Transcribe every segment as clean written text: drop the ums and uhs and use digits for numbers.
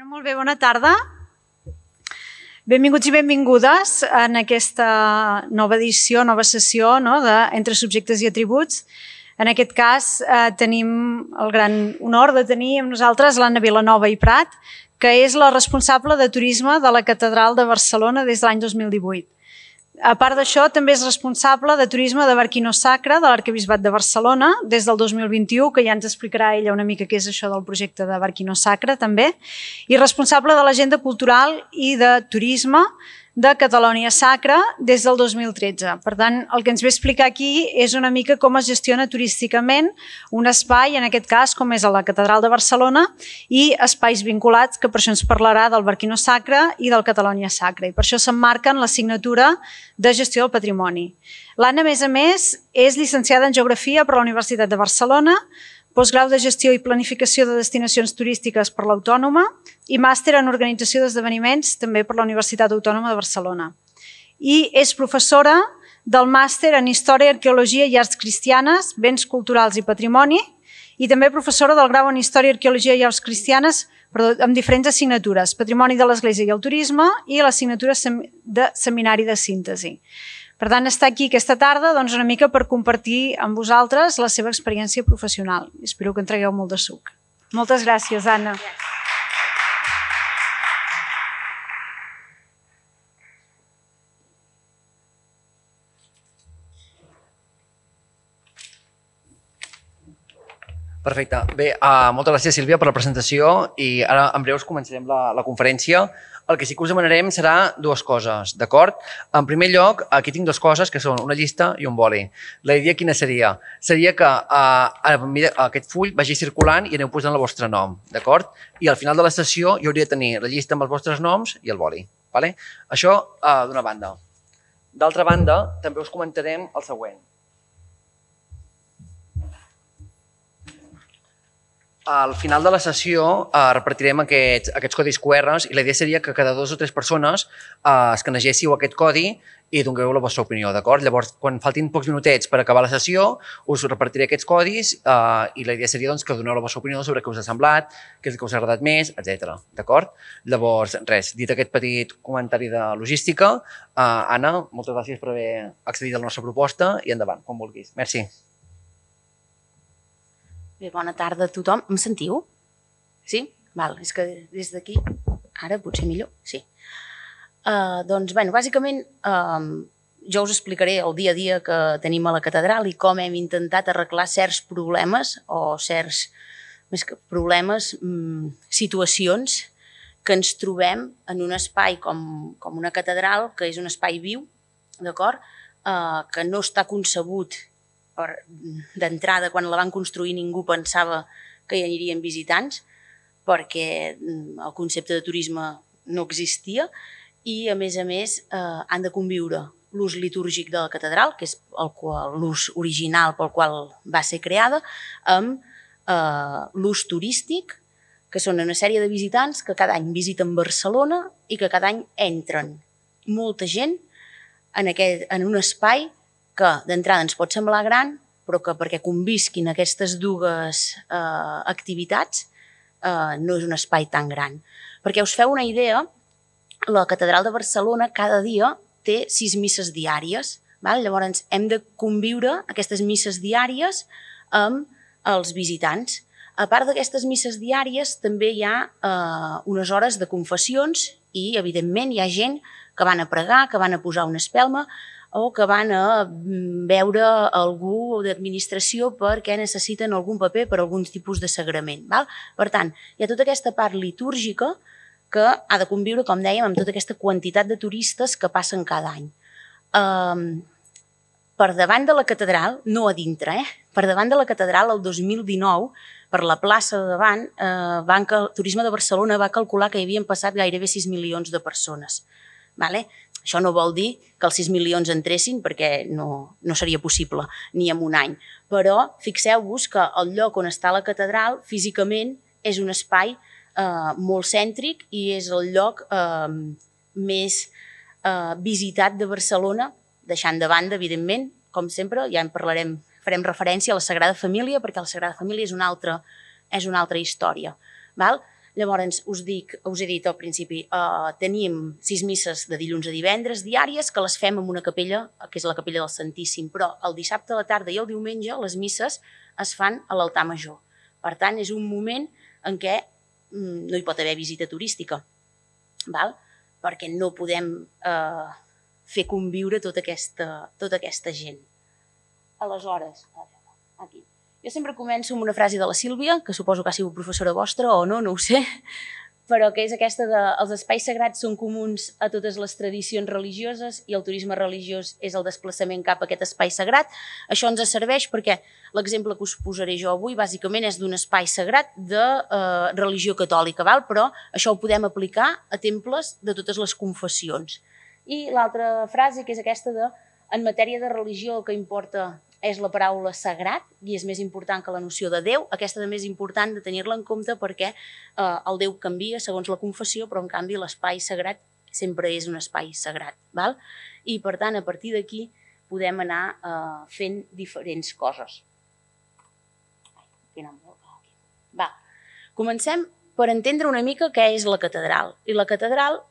Molt bé, bona tarda. Benvinguts i benvingudes en aquesta nova edició, nova sessió d'Entre subjectes i atributs. En aquest cas tenim el gran honor de tenir amb nosaltres l'Anna Vilanova i Prat, que és la responsable de turisme de la Catedral de Barcelona des de l'any 2018. A part d'això, també és responsable de turisme de Barquino Sacra de l'Arquebisbat de Barcelona des del 2021, que ja ens explicarà ella una mica què és això del projecte de Barquino Sacra, també, i responsable de l'agenda cultural i de turisme de Catalonia Sacra des del 2013. Per tant, el que ens ve a explicar aquí és una mica com es gestiona turísticament un espai, en aquest cas, com és a la Catedral de Barcelona, i espais vinculats, que per això ens parlarà del Barquino Sacra i del Catalonia Sacra, i per això s'emmarquen l'assignatura de gestió del patrimoni. L'Anna, a més, és llicenciada en Geografia per la Universitat de Barcelona, postgrau de Gestió i Planificació de Destinacions Turístiques per l'Autònoma i màster en Organització d'Esdeveniments també per la Universitat Autònoma de Barcelona. I és professora del màster en Història, Arqueologia i Arts Cristianes, Béns Culturals i Patrimoni, i també professora del grau en Història, Arqueologia i Arts Cristianes amb diferents assignatures, Patrimoni de l'Església i el Turisme i l'assignatura de Seminari de Síntesi. Per tant, està aquí aquesta tarda una mica per compartir amb vosaltres la seva experiència professional. Espero que en tragueu molt de suc. Moltes gràcies, Anna. Perfecte. Bé, moltes gràcies, Sílvia, per la presentació i ara en breu començarem la conferència. El que sí que us demanarem serà dues coses, d'acord? En primer lloc, aquí tinc dues coses que són una llista i un boli. La idea quina seria? Seria que aquest full vagi circulant i aneu posant el vostre nom, d'acord? I al final de la sessió jo hauria de tenir la llista amb els vostres noms i el boli. Això d'una banda. D'altra banda, també us comentarem el següent. Al final de la sessió repartirem aquests codis QR i la idea seria que cada 2 o 3 persones escanegéssiu aquest codi i dongueu la vostra opinió, d'acord? Llavors, quan faltin pocs minutets per acabar la sessió, us repartiré aquests codis i la idea seria que doneu la vostra opinió sobre què us ha semblat, què és el que us ha agradat més, etc. D'acord? Llavors, res, dit aquest petit comentari de logística, Anna, moltes gràcies per haver accedit a la nostra proposta i endavant, quan vulguis. Merci. Bé, bona tarda a tothom. Em sentiu? Sí? Val, és que des d'aquí... Ara potser millor? Sí. Doncs, bé, bàsicament jo us explicaré el dia a dia que tenim a la catedral i com hem intentat arreglar certs problemes o certs, més que problemes, situacions que ens trobem en un espai com una catedral, que és un espai viu, d'acord? Que no està concebut d'entrada, quan la van construir ningú pensava que hi anirien visitants perquè el concepte de turisme no existia i a més han de conviure l'ús litúrgic de la catedral, que és l'ús original pel qual va ser creada, amb l'ús turístic, que són una sèrie de visitants que cada any visiten Barcelona i que cada any entren molta gent en un espai que d'entrada ens pot semblar gran, però que perquè convisquin aquestes dues activitats no és un espai tan gran. Perquè us feu una idea, la Catedral de Barcelona cada dia té 6 misses diàries. Llavors hem de conviure aquestes misses diàries amb els visitants. A part d'aquestes misses diàries també hi ha unes hores de confessions i evidentment hi ha gent que van a pregar, que van a posar una espelma o que van a veure algú d'administració perquè necessiten algun paper per algun tipus de sagrament. Per tant, hi ha tota aquesta part litúrgica que ha de conviure, com dèiem, amb tota aquesta quantitat de turistes que passen cada any. Per davant de la catedral, no a dintre, per davant de la catedral, el 2019, per la plaça de davant, Turisme de Barcelona va calcular que hi havien passat gairebé 6 milions de persones. Això no vol dir que els 6 milions entressin perquè no seria possible ni en un any. Però fixeu-vos que el lloc on està la catedral físicament és un espai molt cèntric i és el lloc més visitat de Barcelona, deixant de banda, evidentment, com sempre, ja en parlarem, farem referència a la Sagrada Família perquè la Sagrada Família és una altra història. Llavors, us he dit al principi, tenim 6 misses de dilluns a divendres diàries que les fem en una capella, que és la capella del Santíssim, però el dissabte a la tarda i el diumenge les misses es fan a l'altar major. Per tant, és un moment en què no hi pot haver visita turística, perquè no podem fer conviure tota aquesta gent. Aleshores, aquí. Jo sempre començo amb una frase de la Sílvia, que suposo que ha sigut professora vostra o no, no ho sé, però que és aquesta de els espais sagrats són comuns a totes les tradicions religioses i el turisme religiós és el desplaçament cap a aquest espai sagrat. Això ens serveix perquè l'exemple que us posaré jo avui bàsicament és d'un espai sagrat de religió catòlica, però això ho podem aplicar a temples de totes les confessions. I l'altra frase, que és aquesta de en matèria de religió el que importa és la paraula sagrat i és més important que la noció de Déu. Aquesta també és important de tenir-la en compte perquè el Déu canvia segons la confessió, però en canvi l'espai sagrat sempre és un espai sagrat. I per tant, a partir d'aquí podem anar fent diferents coses. Comencem per entendre una mica què és la catedral. I la catedral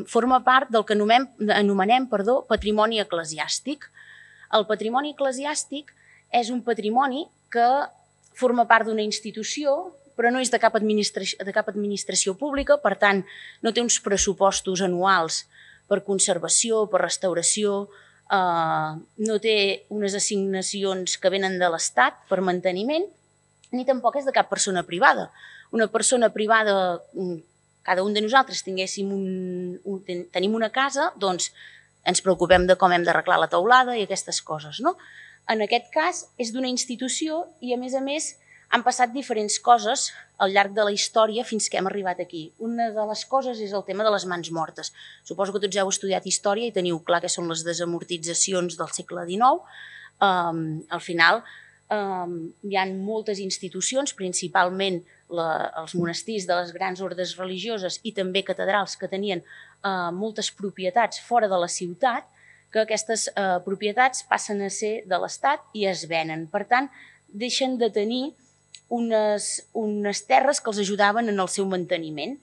forma part del que anomenem patrimoni eclesiàstic. El patrimoni eclesiàstic és un patrimoni que forma part d'una institució, però no és de cap administració pública, per tant, no té uns pressupostos anuals per conservació, per restauració, no té unes assignacions que venen de l'Estat per manteniment, ni tampoc és de cap persona privada. Una persona privada, cada un de nosaltres tenim una casa, doncs ens preocupem de com hem d'arreglar la teulada i aquestes coses. En aquest cas és d'una institució i a més han passat diferents coses al llarg de la història fins que hem arribat aquí. Una de les coses és el tema de les mans mortes. Suposo que tots heu estudiat història i teniu clar què són les desamortitzacions del segle XIX. Al final hi ha moltes institucions, principalment els monestirs de les grans ordes religioses i també catedrals que tenien moltes propietats fora de la ciutat, que aquestes propietats passen a ser de l'Estat i es venen. Per tant, deixen de tenir unes terres que els ajudaven en el seu manteniment.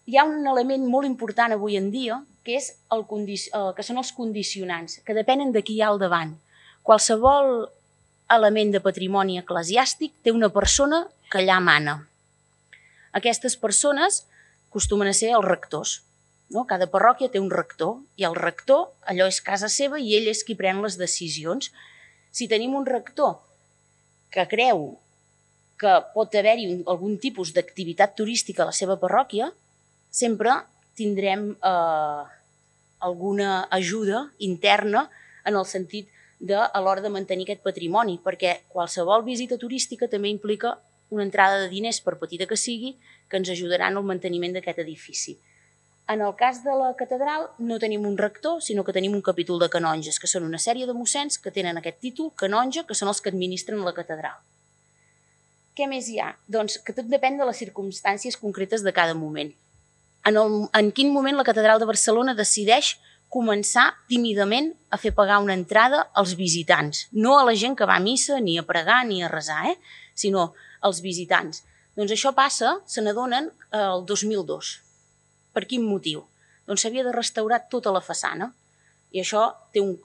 Hi ha un element molt important avui en dia, que són els condicionants, que depenen de qui hi ha al davant. Qualsevol element de patrimoni eclesiàstic té una persona que allà mana. Aquestes persones acostumen a ser els rectors. Cada parròquia té un rector i el rector, allò és casa seva i ell és qui pren les decisions. Si tenim un rector que creu que pot haver-hi algun tipus d'activitat turística a la seva parròquia, sempre tindrem alguna ajuda interna en el sentit a l'hora de mantenir aquest patrimoni, perquè qualsevol visita turística també implica una entrada de diners, per petita que sigui, que ens ajudaran al manteniment d'aquest edifici. En el cas de la catedral no tenim un rector, sinó que tenim un capítol de canonges, que són una sèrie de mossens que tenen aquest títol, canonge, que són els que administren la catedral. Què més hi ha? Doncs que tot depèn de les circumstàncies concretes de cada moment. En quin moment la catedral de Barcelona decideix començar tímidament a fer pagar una entrada als visitants, no a la gent que va a missa, ni a pregar, ni a resar, sinó als visitants. Doncs això passa, se n'adonen, el 2002. Per quin motiu? Doncs s'havia de restaurar tota la façana. I això,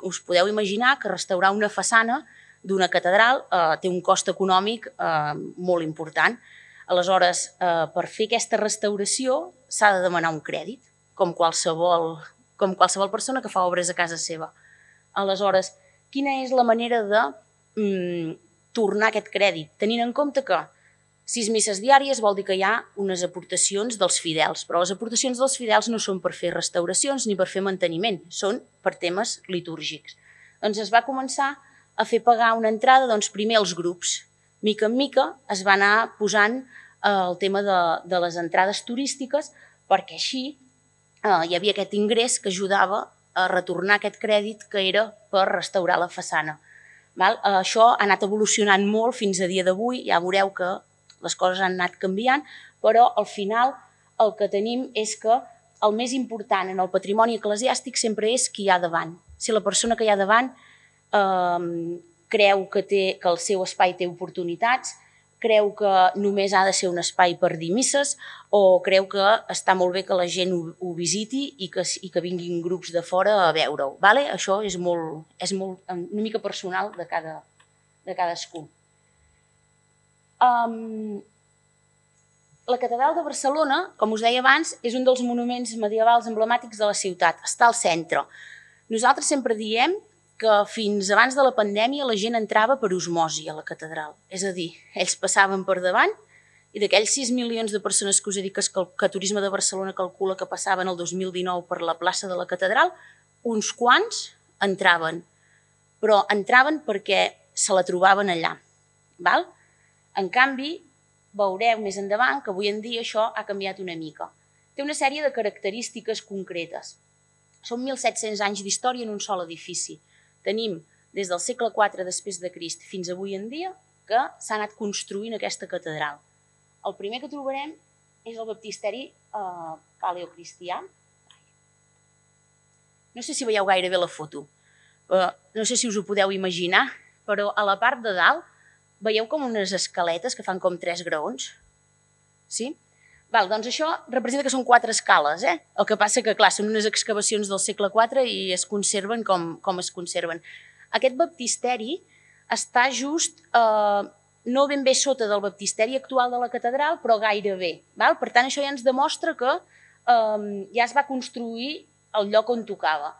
us podeu imaginar que restaurar una façana d'una catedral té un cost econòmic molt important. Aleshores, per fer aquesta restauració s'ha de demanar un crèdit, com qualsevol persona que fa obres a casa seva. Aleshores, quina és la manera de tornar aquest crèdit? Tenint en compte que 6 misses diàries vol dir que hi ha unes aportacions dels fidels, però les aportacions dels fidels no són per fer restauracions ni per fer manteniment, són per temes litúrgics. Doncs es va començar a fer pagar una entrada primer als grups. Mica en mica es va anar posant el tema de les entrades turístiques perquè així hi havia aquest ingrés que ajudava a retornar aquest crèdit que era per restaurar la façana. Això ha anat evolucionant molt fins a dia d'avui, ja veureu que les coses han anat canviant, però al final el que tenim és que el més important en el patrimoni eclesiàstic sempre és qui hi ha davant. Si la persona que hi ha davant creu que el seu espai té oportunitats, creu que només ha de ser un espai per dir misses o creu que està molt bé que la gent ho visiti i que vinguin grups de fora a veure-ho. Això és una mica personal de cadascú. La catedral de Barcelona, com us deia abans, és un dels monuments medievals emblemàtics de la ciutat. Està al centre. Nosaltres sempre diem que fins abans de la pandèmia la gent entrava per osmosi a la catedral. És a dir, ells passaven per davant i d'aquells 6 milions de persones que us he dit que Turisme de Barcelona calcula que passaven el 2019 per la plaça de la catedral, uns quants entraven. Però entraven perquè se la trobaven allà. En canvi, veureu més endavant que avui en dia això ha canviat una mica. Té una sèrie de característiques concretes. Són 1.700 anys d'història en un sol edifici. Tenim des del segle IV després de Crist fins avui en dia que s'ha anat construint aquesta catedral. El primer que trobarem és el baptisteri paleocristià. No sé si veieu gaire bé la foto, no sé si us ho podeu imaginar, però a la part de dalt veieu com unes escaletes que fan com 3 graons? Sí? Doncs això representa que són 4 escales. El que passa que, clar, són unes excavacions del segle IV i es conserven com es conserven. Aquest baptisteri està just no ben bé sota del baptisteri actual de la catedral, però gairebé. Per tant, això ja ens demostra que ja es va construir el lloc on tocava.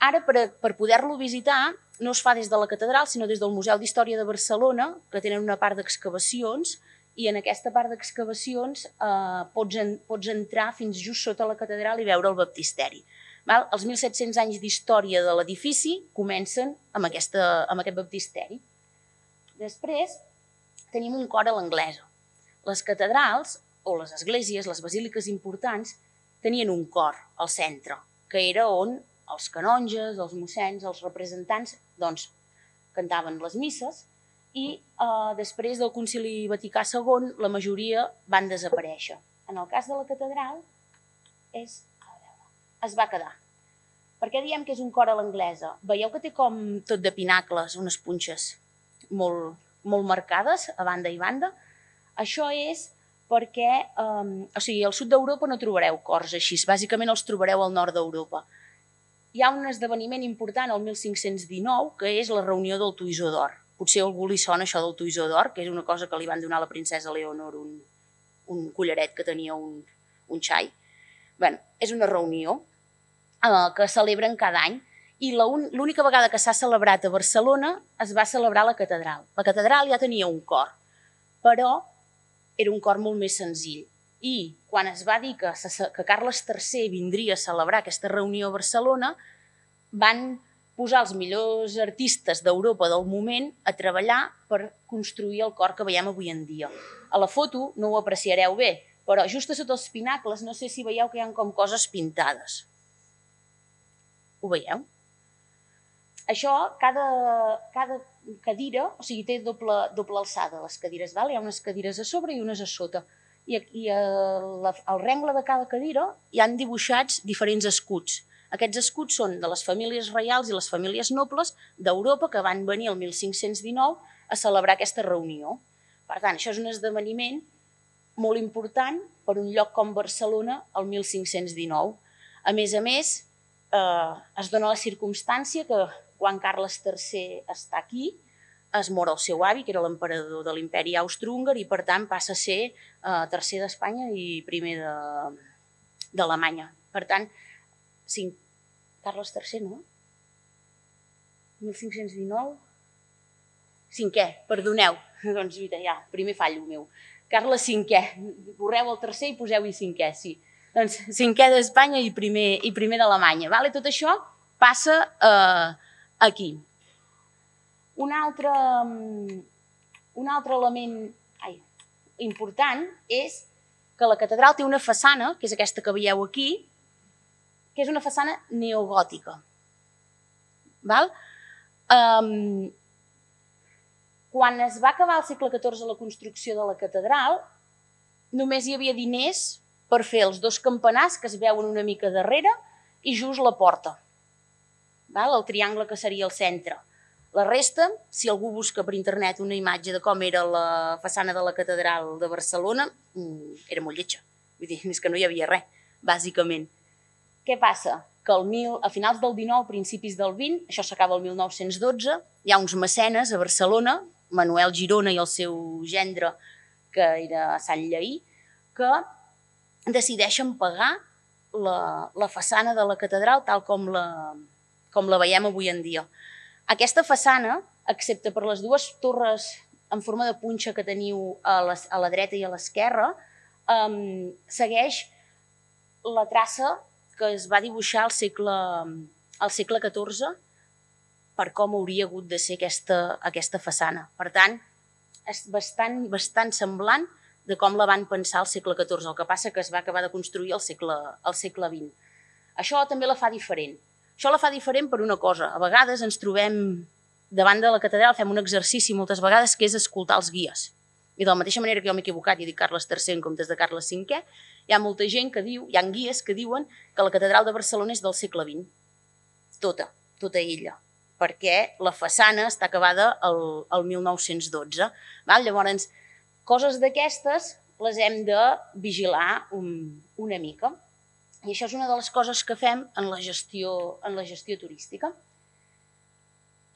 Ara, per poder-lo visitar, no es fa des de la catedral, sinó des del Museu d'Història de Barcelona, que tenen una part d'excavacions, i en aquesta part d'excavacions pots entrar fins just sota la catedral i veure el baptisteri. Els 1.700 anys d'història de l'edifici comencen amb aquest baptisteri. Després tenim un cor a l'anglesa. Les catedrals, o les esglésies, les basíliques importants, tenien un cor al centre, que era on els canonges, els mossens, els representants, cantaven les misses, i després del Concili Vaticà II la majoria van desaparèixer. En el cas de la catedral es va quedar. Per què diem que és un cor a l'anglesa? Veieu que té com tot de pinacles, unes punxes molt marcades a banda i banda? Això és perquè al sud d'Europa no trobareu cors així, bàsicament els trobareu al nord d'Europa. Hi ha un esdeveniment important el 1519 que és la reunió del Toisó d'Or. Potser a algú li sona això del Toisó d'Or, que és una cosa que li van donar a la princesa Leonor, un collaret que tenia un xai. És una reunió que celebren cada any i l'única vegada que s'ha celebrat a Barcelona es va celebrar a la catedral. La catedral ja tenia un cor, però era un cor molt més senzill. I quan es va dir que Carles III vindria a celebrar aquesta reunió a Barcelona, van posar els millors artistes d'Europa del moment a treballar per construir el cor que veiem avui en dia. A la foto no ho apreciareu bé, però just a sota els pinacles no sé si veieu que hi ha com coses pintades. Ho veieu? Això, cada cadira, o sigui, té doble alçada les cadires, hi ha unes cadires a sobre i unes a sota. I al rengle de cada cadira hi han dibuixats diferents escuts. Aquests escuts són de les famílies reials i les famílies nobles d'Europa que van venir el 1519 a celebrar aquesta reunió. Per tant, això és un esdeveniment molt important per un lloc com Barcelona el 1519. A més, es dona la circumstància que quan Carles III està aquí, es mor el seu avi, que era l'emperador de l'imperi austrohúngar, i per tant passa a ser tercer d'Espanya i primer d'Alemanya. Per tant, Carles III, no? 1519? Cinquè, perdoneu. Doncs ja, primer fallo meu. Carles V, borreu el tercer i poseu-hi cinquè, sí. Doncs cinquè d'Espanya i primer d'Alemanya. Tot això passa aquí. Un altre element important és que la catedral té una façana, que és aquesta que veieu aquí, que és una façana neogòtica. Quan es va acabar al segle XIV la construcció de la catedral, només hi havia diners per fer els 2 campanars que es veuen una mica darrere i just la porta, el triangle que seria el centre. La resta, si algú busca per internet una imatge de com era la façana de la catedral de Barcelona, era molt lletja. Vull dir, és que no hi havia res, bàsicament. Què passa? Que a finals del 19, principis del 20, això s'acaba el 1912, hi ha uns mecenes a Barcelona, Manuel Girona i el seu gendre, que era Sant Lleí, que decideixen pagar la façana de la catedral tal com la veiem avui en dia. Aquesta façana, excepte per les dues torres en forma de punxa que teniu a la dreta i a l'esquerra, segueix la traça que es va dibuixar al segle XIV per com hauria hagut de ser aquesta façana. Per tant, és bastant semblant de com la van pensar al segle XIV, el que passa que es va acabar de construir al segle XX. Això també la fa diferent. Això la fa diferent per una cosa. A vegades ens trobem davant de la catedral, fem un exercici moltes vegades que és escoltar els guies. I de la mateixa manera que jo m'he equivocat i he dit Carles III en comptes de Carles V, hi ha molta gent que diu, hi ha guies que diuen que la catedral de Barcelona és del segle XX. Tota ella. Perquè la façana està acabada el 1912. Llavors, coses d'aquestes les hem de vigilar una mica. I això és una de les coses que fem en la gestió turística.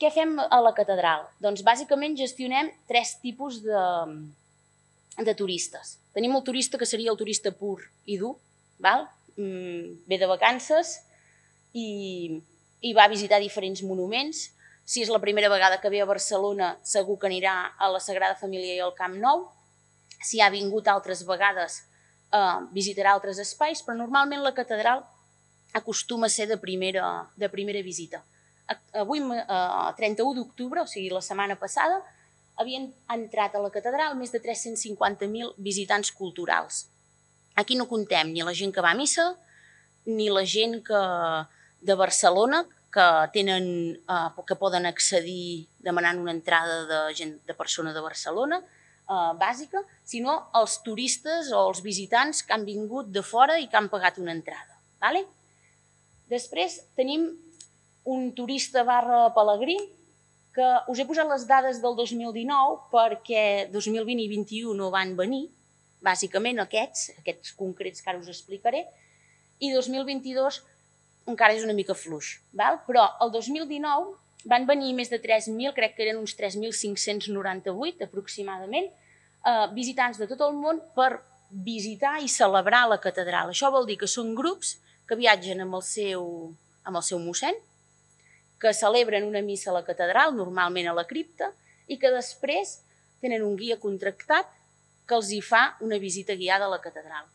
Què fem a la catedral? Doncs bàsicament gestionem 3 tipus de turistes. Tenim el turista que seria el turista pur i dur, ve de vacances i va a visitar diferents monuments. Si és la primera vegada que ve a Barcelona, segur que anirà a la Sagrada Família i al Camp Nou. Si ha vingut altres vegades, visitarà altres espais, però normalment la catedral acostuma a ser de primera visita. Avui, 31 d'octubre, o sigui, la setmana passada, havien entrat a la catedral més de 350.000 visitants culturals. Aquí no comptem ni la gent que va a missa, ni la gent de Barcelona, que poden accedir demanant una entrada de persona de Barcelona, bàsica, sinó els turistes o els visitants que han vingut de fora i que han pagat una entrada. Després tenim un turista / pelegrí, que us he posat les dades del 2019 perquè 2020 i 2021 no van venir, bàsicament aquests concrets que ara us explicaré, i 2022 encara és una mica fluix. Però el 2019 van venir més de 3.000, crec que eren uns 3.598 aproximadament, visitants de tot el món per visitar i celebrar la catedral. Això vol dir que són grups que viatgen amb el seu mossèn, que celebren una missa a la catedral, normalment a la cripta, i que després tenen un guia contractat que els hi fa una visita guiada a la catedral.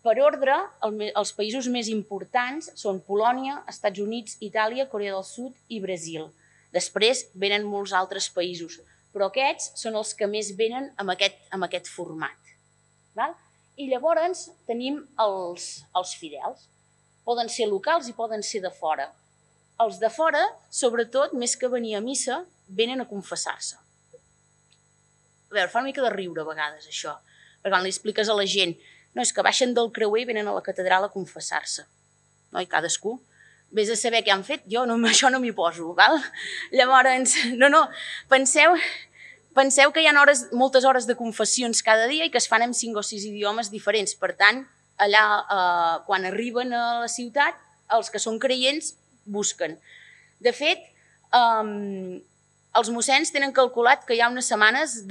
Per ordre, els països més importants són Polònia, Estats Units, Itàlia, Corea del Sud i Brasil. Després venen molts altres països, però aquests són els que més venen amb aquest format. I llavors tenim els fidels. Poden ser locals i poden ser de fora. Els de fora, sobretot, més que venir a missa, venen a confessar-se. A veure, fa una mica de riure a vegades, això. Perquè quan li expliques a la gent, no, és que baixen del creuer i venen a la catedral a confessar-se. I cadascú. Vés a saber què han fet, jo això no m'hi poso. Llavors, penseu que hi ha moltes hores de confessions cada dia i que es fan en 5 o 6 idiomes diferents. Per tant, allà, quan arriben a la ciutat, els que són creients busquen. De fet, els mossens tenen calculat que hi ha unes setmanes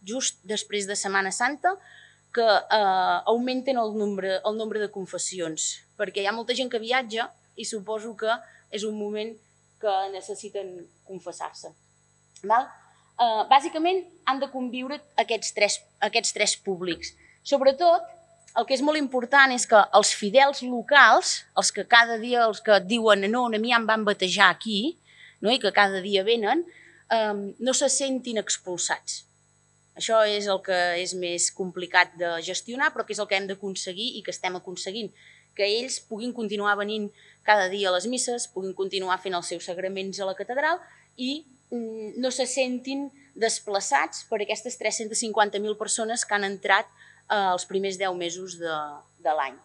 just després de Setmana Santa que augmenten el nombre de confessions, perquè hi ha molta gent que viatja i suposo que és un moment que necessiten confessar-se. Bàsicament han de conviure aquests 3 públics. Sobretot, el que és molt important és que els fidels locals, els que cada dia et diuen no, a mi em van batejar aquí, i que cada dia venen, no se sentin expulsats. Això és el que és més complicat de gestionar, però que és el que hem d'aconseguir i que estem aconseguint. Que ells puguin continuar venint cada dia a les misses, puguin continuar fent els seus sagraments a la catedral i no se sentin desplaçats per aquestes 350.000 persones que han entrat els primers 10 mesos de l'any.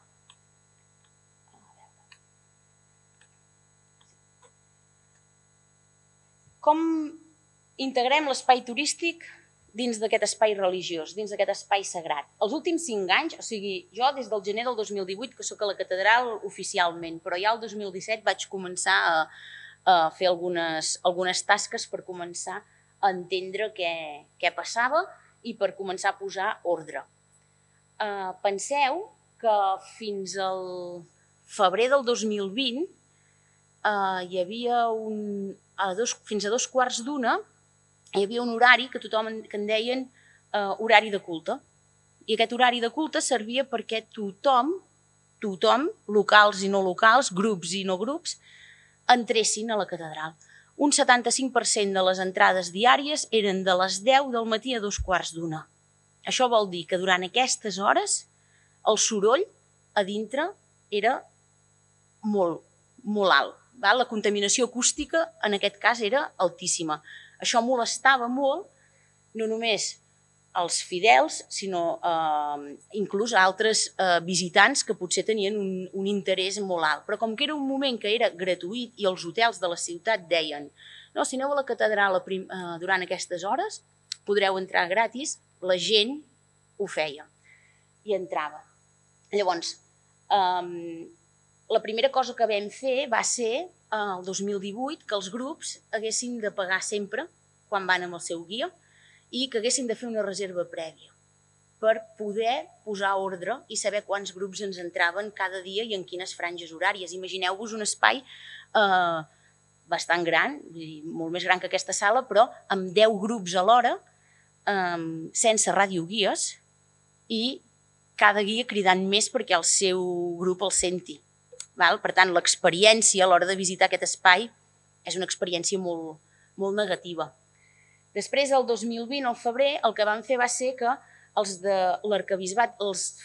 Com integrem l'espai turístic dins d'aquest espai religiós, dins d'aquest espai sagrat? Els últims 5 anys, o sigui, jo des del gener del 2018, que sóc a la catedral oficialment, però ja el 2017 vaig començar a fer algunes tasques per començar a entendre què passava i per començar a posar ordre. Penseu que fins al febrer del 2020 hi havia fins a 2:15 hi havia un horari que en deien horari de culte. I aquest horari de culte servia perquè tothom, locals i no locals, grups i no grups, entressin a la catedral. Un 75% de les entrades diàries eren de les 10 del matí a 2:15. Això vol dir que durant aquestes hores el soroll a dintre era molt alt. La contaminació acústica en aquest cas era altíssima. Això molestava molt no només als fidels, sinó inclús a altres visitants que potser tenien un interès molt alt. Però com que era un moment que era gratuït i els hotels de la ciutat deien no, si aneu a la catedral durant aquestes hores podreu entrar gratis, la gent ho feia i entrava. Llavors, la primera cosa que vam fer va ser el 2018 que els grups haguessin de pagar sempre quan van amb el seu guia i que haguessin de fer una reserva prèvia per poder posar ordre i saber quants grups ens entraven cada dia i en quines franges horàries. Imagineu-vos un espai bastant gran, molt més gran que aquesta sala, però amb 10 grups alhora, sense radioguies i cada guia cridant més perquè el seu grup el senti. Per tant, l'experiència a l'hora de visitar aquest espai és una experiència molt negativa. Després, el 2020, al febrer, el que vam fer va ser que els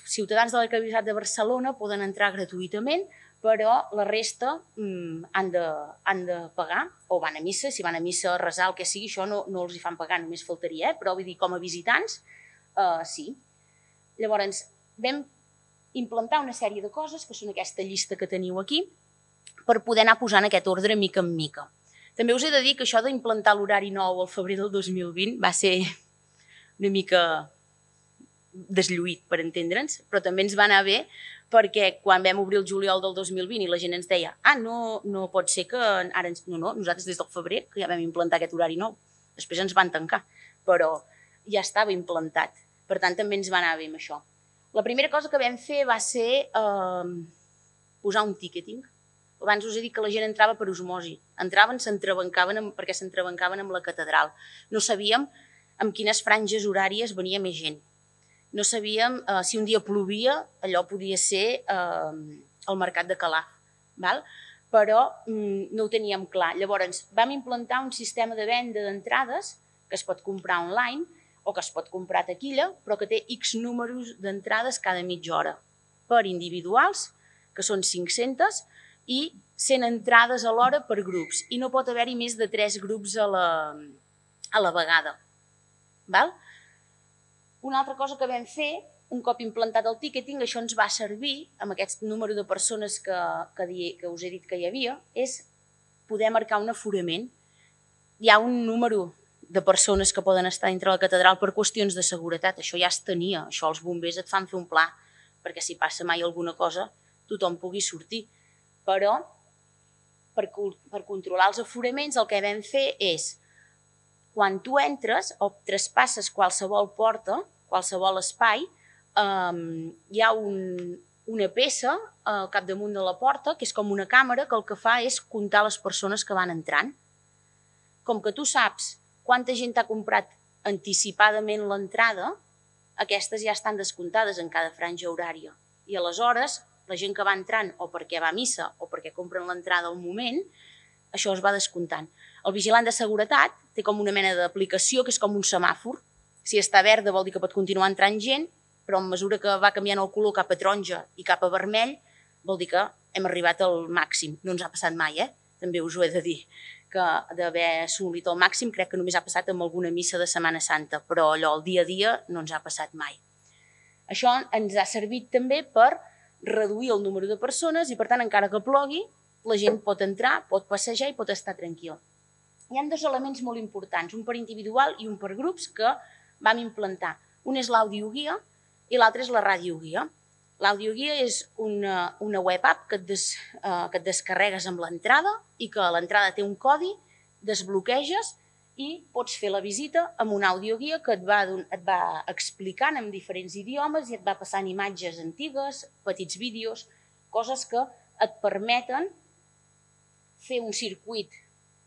ciutadans de l'Arquebisbat de Barcelona poden entrar gratuïtament, però la resta han de pagar o van a missa. Si van a missa a resar el que sigui, això no els hi fan pagar, només faltaria, però vull dir, com a visitants, sí. Llavors, vam implantar una sèrie de coses, que són aquesta llista que teniu aquí, per poder anar posant aquest ordre mica en mica. També us he de dir que això d'implantar l'horari nou al febrer del 2020 va ser una mica deslluït, per entendre'ns, però també ens va anar bé perquè quan vam obrir el juliol del 2020 i la gent ens deia no pot ser que ara... No, nosaltres des del febrer que ja vam implantar aquest horari nou. Després ens van tancar, però ja estava implantat. Per tant, també ens va anar bé amb això. La primera cosa que vam fer va ser posar un ticketing. Abans us he dit que la gent entrava per osmosi. Entraven, perquè s'entrebancaven amb la catedral. No sabíem en quines franges horàries venia més gent. No sabíem si un dia plovia, allò podia ser el mercat de Calaf. Però no ho teníem clar. Llavors, vam implantar un sistema de venda d'entrades que es pot comprar online o que es pot comprar a taquilla, però que té X números d'entrades cada mitja hora per individuals, que són 500, i 100 entrades a l'hora per grups. I no pot haver-hi més de 3 grups a la vegada. Una altra cosa que vam fer, un cop implantat el ticketing, això ens va servir, amb aquest número de persones que us he dit que hi havia, és poder marcar un aforament. Hi ha un número de persones que poden estar dintre la catedral per qüestions de seguretat. Això ja es tenia, això els bombers et fan fer un pla, perquè si passa mai alguna cosa tothom pugui sortir. Però per controlar els aforaments el que vam fer és, quan tu entres o traspasses qualsevol porta, qualsevol espai, hi ha una peça al capdamunt de la porta que és com una càmera que el que fa és comptar les persones que van entrant. Com que tu saps quanta gent t'ha comprat anticipadament l'entrada, aquestes ja estan descomptades en cada franja horària. I aleshores, la gent que va entrant o perquè va a missa o perquè compren l'entrada al moment, això es va descomptant. El vigilant de seguretat té com una mena d'aplicació que és com un semàfor. Si està verda vol dir que pot continuar entrant gent, però a mesura que va canviant el color cap a taronja i cap a vermell vol dir que hem arribat al màxim. No ens ha passat mai, també us ho he de dir, que d'haver assolit el màxim crec que només ha passat amb alguna missa de Setmana Santa, però allò, el dia a dia, no ens ha passat mai. Això ens ha servit també per reduir el número de persones i, per tant, encara que plogui, la gent pot entrar, pot passejar i pot estar tranquil. hi ha dos elements molt importants, un per individual i un per grups, que vam implantar. Un és l'audioguia i l'altre és la radioguia. L'audioguia és una web app que et descarregues amb l'entrada i que a l'entrada té un codi, desbloqueges i pots fer la visita amb un audioguia que et va explicant en diferents idiomes i et va passant imatges antigues, petits vídeos, coses que et permeten fer un circuit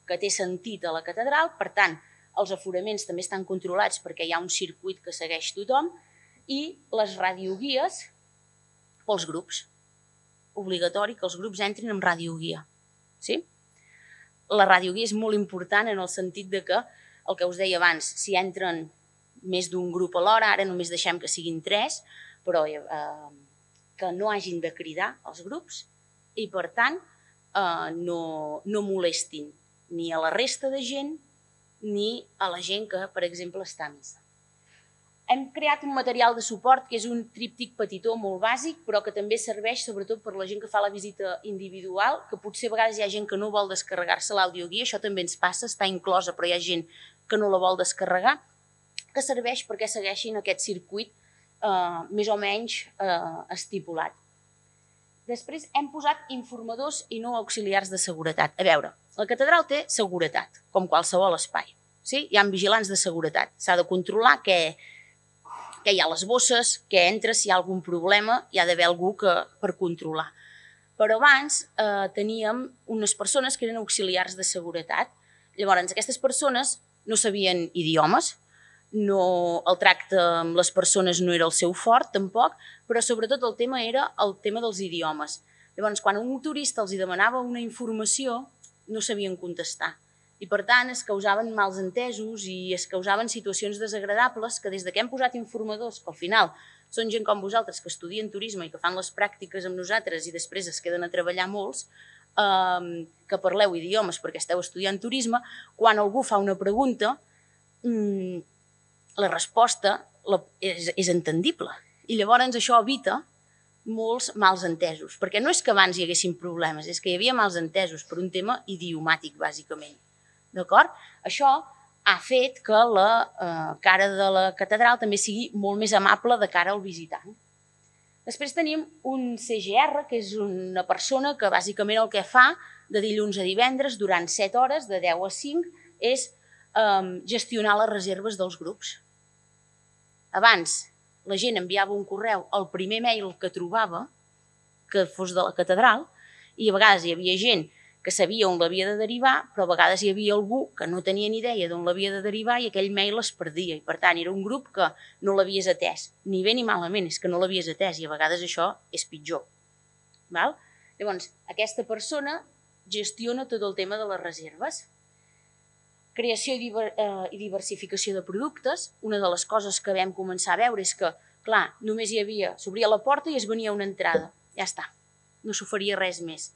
que té sentit a la catedral. Per tant, els aforaments també estan controlats perquè hi ha un circuit que segueix tothom, i les radioguies pels grups. Obligatori que els grups entrin amb radioguia. Sí? La radioguia és molt important en el sentit de que, el que us deia abans, si entren més d'un grup alhora, ara només deixem que siguin 3, però que no hagin de cridar els grups i, per tant, no molestin ni a la resta de gent ni a la gent que, per exemple, està a missa. Hem creat un material de suport que és un tríptic petitó molt bàsic, però que també serveix sobretot per la gent que fa la visita individual, que potser a vegades hi ha gent que no vol descarregar-se l'audioguia, això també ens passa, està inclosa, però hi ha gent que no la vol descarregar, que serveix perquè segueixin aquest circuit més o menys estipulat. Després hem posat informadors i no auxiliars de seguretat. A veure, la catedral té seguretat, com qualsevol espai. Sí? Hi ha vigilants de seguretat. S'ha de controlar què hi ha a les bosses, què entra, si hi ha algun problema, hi ha d'haver algú per controlar. Però abans teníem unes persones que eren auxiliars de seguretat. Llavors, aquestes persones no sabien idiomes, el tracte amb les persones no era el seu fort, tampoc, però sobretot el tema era el tema dels idiomes. Llavors, quan un turista els demanava una informació, no sabien contestar. I, per tant, es causaven mals entesos i es causaven situacions desagradables que des que hem posat informadors, que al final són gent com vosaltres que estudien turisme i que fan les pràctiques amb nosaltres i després es queden a treballar molts, que parleu idiomes perquè esteu estudiant turisme, quan algú fa una pregunta, la resposta és entendible. I llavors això evita molts mals entesos, perquè no és que abans hi haguessin problemes, és que hi havia mals entesos per un tema idiomàtic, bàsicament. D'acord? Això ha fet que la cara de la catedral també sigui molt més amable de cara al visitant. Després tenim un CGR, que és una persona que bàsicament el que fa de dilluns a divendres durant 7 hores, de 10 a 5, és gestionar les reserves dels grups. Abans la gent enviava un correu al primer mail que trobava, que fos de la catedral, i a vegades hi havia gent que sabia on l'havia de derivar, però a vegades hi havia algú que no tenia ni idea d'on l'havia de derivar i aquell mail es perdia. I per tant era un grup que no l'havies atès, ni bé ni malament, és que no l'havies atès i a vegades això és pitjor. Llavors, aquesta persona gestiona tot el tema de les reserves. Creació i diversificació de productes. Una de les coses que vam començar a veure és que, clar, només hi havia, s'obria la porta i es venia una entrada. Ja està, no s'oferia res més.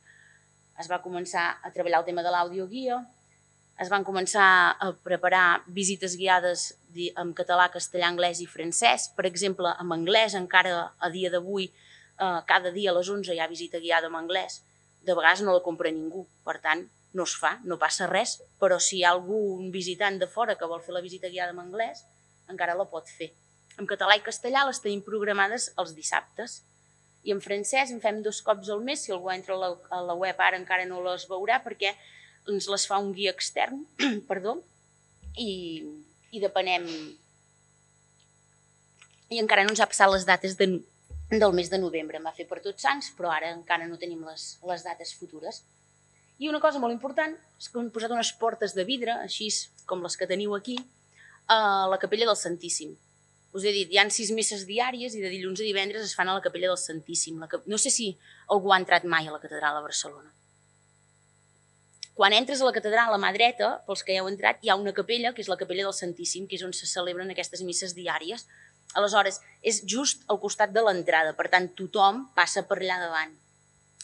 Es va començar a treballar el tema de l'audioguia, es van començar a preparar visites guiades en català, castellà, anglès i francès. Per exemple, en anglès, encara a dia d'avui, cada dia a les 11 hi ha visita guiada en anglès. De vegades no la compra ningú, per tant, no es fa, no passa res, però si hi ha algun visitant de fora que vol fer la visita guiada en anglès, encara la pot fer. En català i castellà les tenim programades els dissabtes. I en francès en fem 2 cops al mes, si algú entra a la web ara encara no les veurà perquè ens les fa un guia extern, i depenem. I encara no ens ha passat les dates del mes de novembre, em va fer per Tots Sants, però ara encara no tenim les dates futures. I una cosa molt important és que hem posat unes portes de vidre, així com les que teniu aquí, a la capella del Santíssim. Us he dit, hi ha 6 misses diàries i de dilluns a divendres es fan a la capella del Santíssim. No sé si algú ha entrat mai a la catedral a Barcelona. Quan entres a la catedral, a la mà dreta, pels que hi heu entrat, hi ha una capella, que és la capella del Santíssim, que és on se celebren aquestes misses diàries. Aleshores, és just al costat de l'entrada, per tant, tothom passa per allà davant.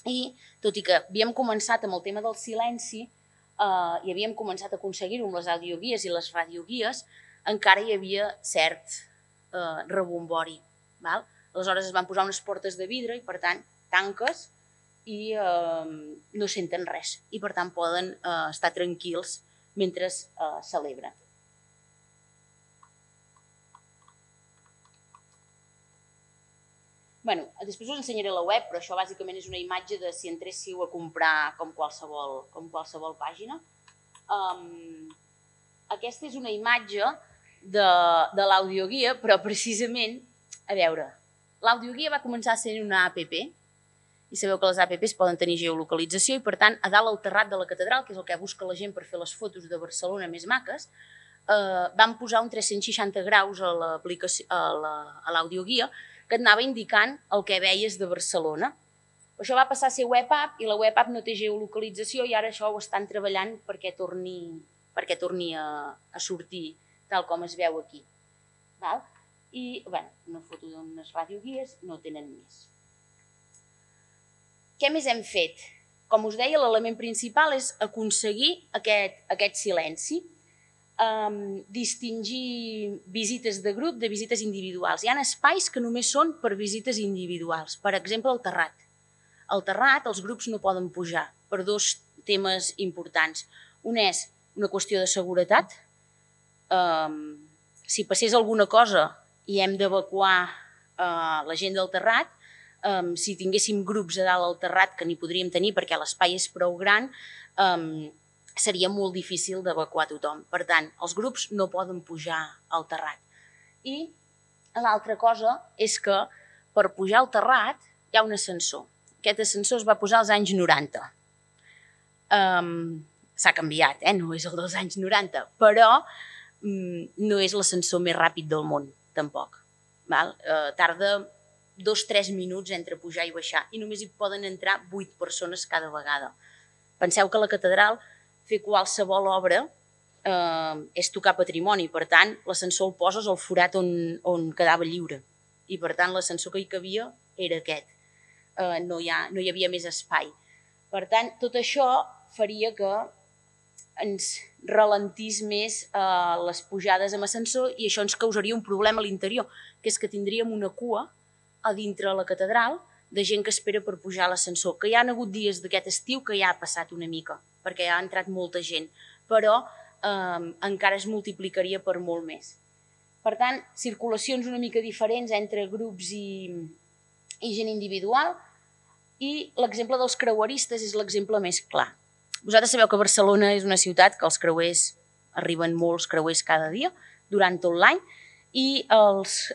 I, tot i que havíem començat amb el tema del silenci i havíem començat a aconseguir-ho amb les audioguies i les radioguies, encara hi havia cert rebombori. Aleshores es van posar unes portes de vidre i, per tant, tanques i no senten res. I, per tant, poden estar tranquils mentre es celebra. Després us ensenyaré la web, però això bàsicament és una imatge de si entréssiu a comprar com qualsevol pàgina. Aquesta és una imatge de l'audioguia, però precisament, a veure, l'audioguia va començar sent una app, i sabeu que les apps poden tenir geolocalització, i per tant, a dalt al terrat de la catedral, que és el que busca la gent per fer les fotos de Barcelona més maques, vam posar un 360 graus a l'audioguia, que et anava indicant el que veies de Barcelona. Això va passar a ser web app i la web app no té geolocalització i ara això ho estan treballant perquè torni a sortir tal com es veu aquí. I una foto d'unes radioguies no tenen més. Què més hem fet? Com us deia, l'element principal és aconseguir aquest silenci. Distingir visites de grup de visites individuals. Hi ha espais que només són per visites individuals. Per exemple, el terrat. Al terrat els grups no poden pujar per dos temes importants. Un és una qüestió de seguretat. Si passés alguna cosa i hem d'evacuar la gent del terrat, si tinguéssim grups a dalt al terrat, que n'hi podríem tenir perquè l'espai és prou gran, seria molt difícil d'evacuar tothom. Per tant, els grups no poden pujar al terrat. I l'altra cosa és que per pujar al terrat hi ha un ascensor. Aquest ascensor es va posar als anys 90. S'ha canviat, no és el dels anys 90, però no és l'ascensor més ràpid del món, tampoc. Tarda 2-3 minuts entre pujar i baixar i només hi poden entrar 8 persones cada vegada. Penseu que la catedral, fer qualsevol obra és tocar patrimoni, per tant, l'ascensor el poses al forat on quedava lliure i per tant l'ascensor que hi cabia era aquest, no hi havia més espai. Per tant, tot això faria que ens ralentís més les pujades amb ascensor i això ens causaria un problema a l'interior, que és que tindríem una cua a dintre la catedral de gent que espera per pujar a l'ascensor, que hi ha hagut dies d'aquest estiu que ja ha passat una mica, perquè ja ha entrat molta gent, però encara es multiplicaria per molt més. Per tant, circulacions una mica diferents entre grups i gent individual, i l'exemple dels creueristes és l'exemple més clar. Vosaltres sabeu que Barcelona és una ciutat que els creuers, arriben molts creuers cada dia, durant tot l'any, i els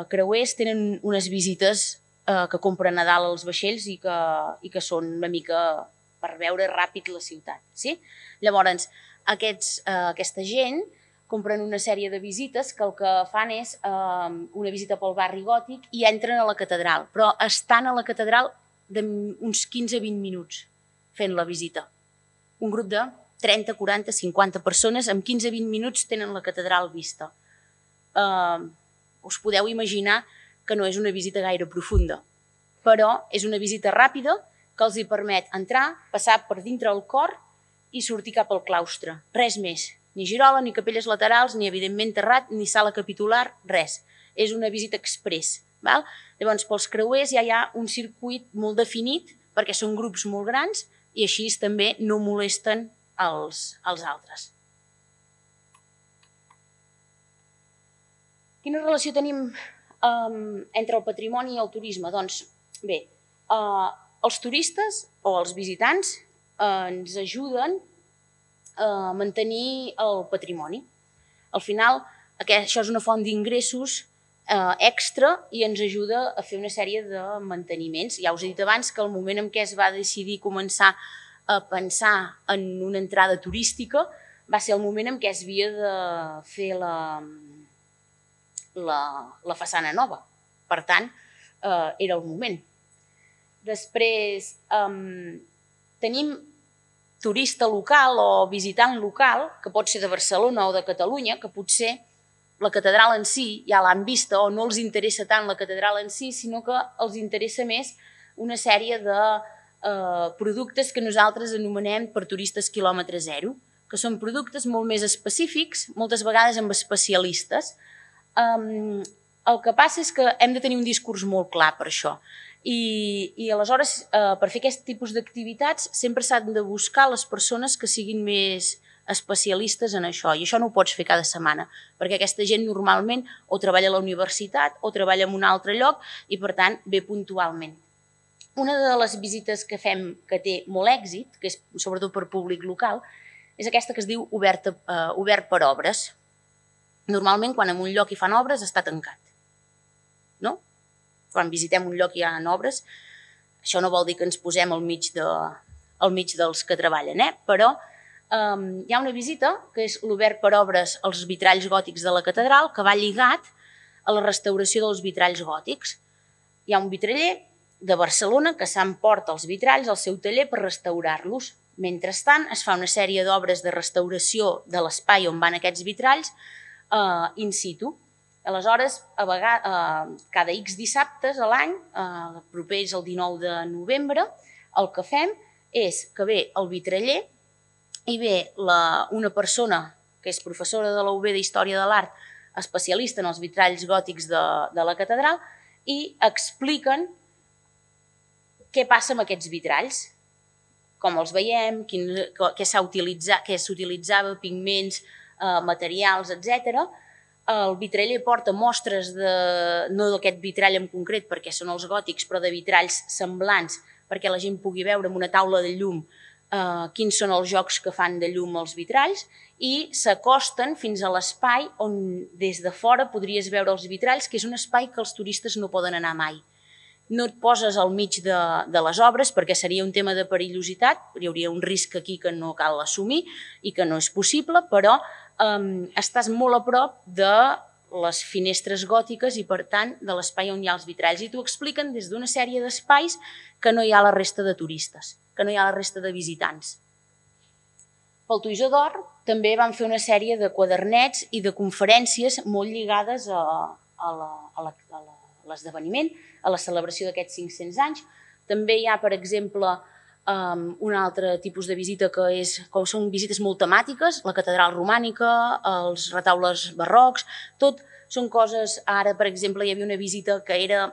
creuers tenen unes visites que compren a dalt els vaixells i que són una mica per veure ràpid la ciutat. Llavors, aquesta gent compren una sèrie de visites que el que fan és una visita pel barri gòtic i entren a la catedral, però estan a la catedral d'uns 15-20 minuts fent la visita. Un grup de 30, 40, 50 persones amb 15-20 minuts tenen la catedral vista. Us podeu imaginar que no és una visita gaire profunda, però és una visita ràpida que els hi permet entrar, passar per dintre el cor i sortir cap al claustre. Res més, ni girola, ni capelles laterals, ni evidentment terrat, ni sala capitular, res. És una visita express. Llavors, pels creuers ja hi ha un circuit molt definit perquè són grups molt grans i així també no molesten els altres. Quina relació tenim entre el patrimoni i el turisme? Doncs bé, els turistes o els visitants ens ajuden a mantenir el patrimoni. Al final, això és una font d'ingressos extra i ens ajuda a fer una sèrie de manteniments. Ja us he dit abans que el moment en què es va decidir començar a pensar en una entrada turística va ser el moment en què es havia de fer la façana nova. Per tant, era el moment. Després, tenim turista local o visitant local, que pot ser de Barcelona o de Catalunya, que potser la catedral en si ja l'han vista o no els interessa tant la catedral en si, sinó que els interessa més una sèrie de productes que nosaltres anomenem per turistes quilòmetre zero, que són productes molt més específics, moltes vegades amb especialistes. El que passa és que hem de tenir un discurs molt clar per això. I aleshores, per fer aquest tipus d'activitats, sempre s'han de buscar les persones que siguin més especialistes en això, i això no ho pots fer cada setmana, perquè aquesta gent normalment o treballa a la universitat o treballa en un altre lloc i, per tant, ve puntualment. Una de les visites que fem que té molt èxit, que és sobretot per públic local, és aquesta que es diu obert per obres. Normalment, quan en un lloc hi fan obres, està tancat. No? Quan visitem un lloc i hi ha obres, això no vol dir que ens posem al mig dels que treballen, però hi ha una visita que és l'obert per obres als vitralls gòtics de la catedral, que va lligat a la restauració dels vitralls gòtics. Hi ha un vitraller de Barcelona que s'emporta els vitralls al seu taller per restaurar-los. Mentrestant, es fa una sèrie d'obres de restauració de l'espai on van aquests vitralls in situ. Aleshores, cada X dissabtes a l'any, proper és el 19 de novembre, el que fem és que ve el vitraller i ve una persona que és professora de la UB d'Història de l'Art, especialista en els vitralls gòtics de la catedral, i expliquen què passa amb aquests vitralls, com els veiem, què s'utilitzava, pigments, materials, etc. El vitraller porta mostres, no d'aquest vitrall en concret, perquè són els gòtics, però de vitralls semblants, perquè la gent pugui veure amb una taula de llum quins són els jocs que fan de llum els vitralls, i s'acosten fins a l'espai on des de fora podries veure els vitralls, que és un espai que els turistes no poden anar mai. No et poses al mig de les obres perquè seria un tema de perillositat, hi hauria un risc aquí que no cal assumir i que no és possible, però estàs molt a prop de les finestres gòtiques i, per tant, de l'espai on hi ha els vitralls. I t'ho expliquen des d'una sèrie d'espais que no hi ha la resta de turistes, que no hi ha la resta de visitants. Pel Toisó d'Or també van fer una sèrie de quadernets i de conferències molt lligades a l'esdeveniment, a la celebració d'aquests 500 anys. També hi ha, per exemple, un altre tipus de visita que són visites molt temàtiques, la catedral romànica, els retaules barrocs, tot són coses. Ara, per exemple, hi havia una visita que era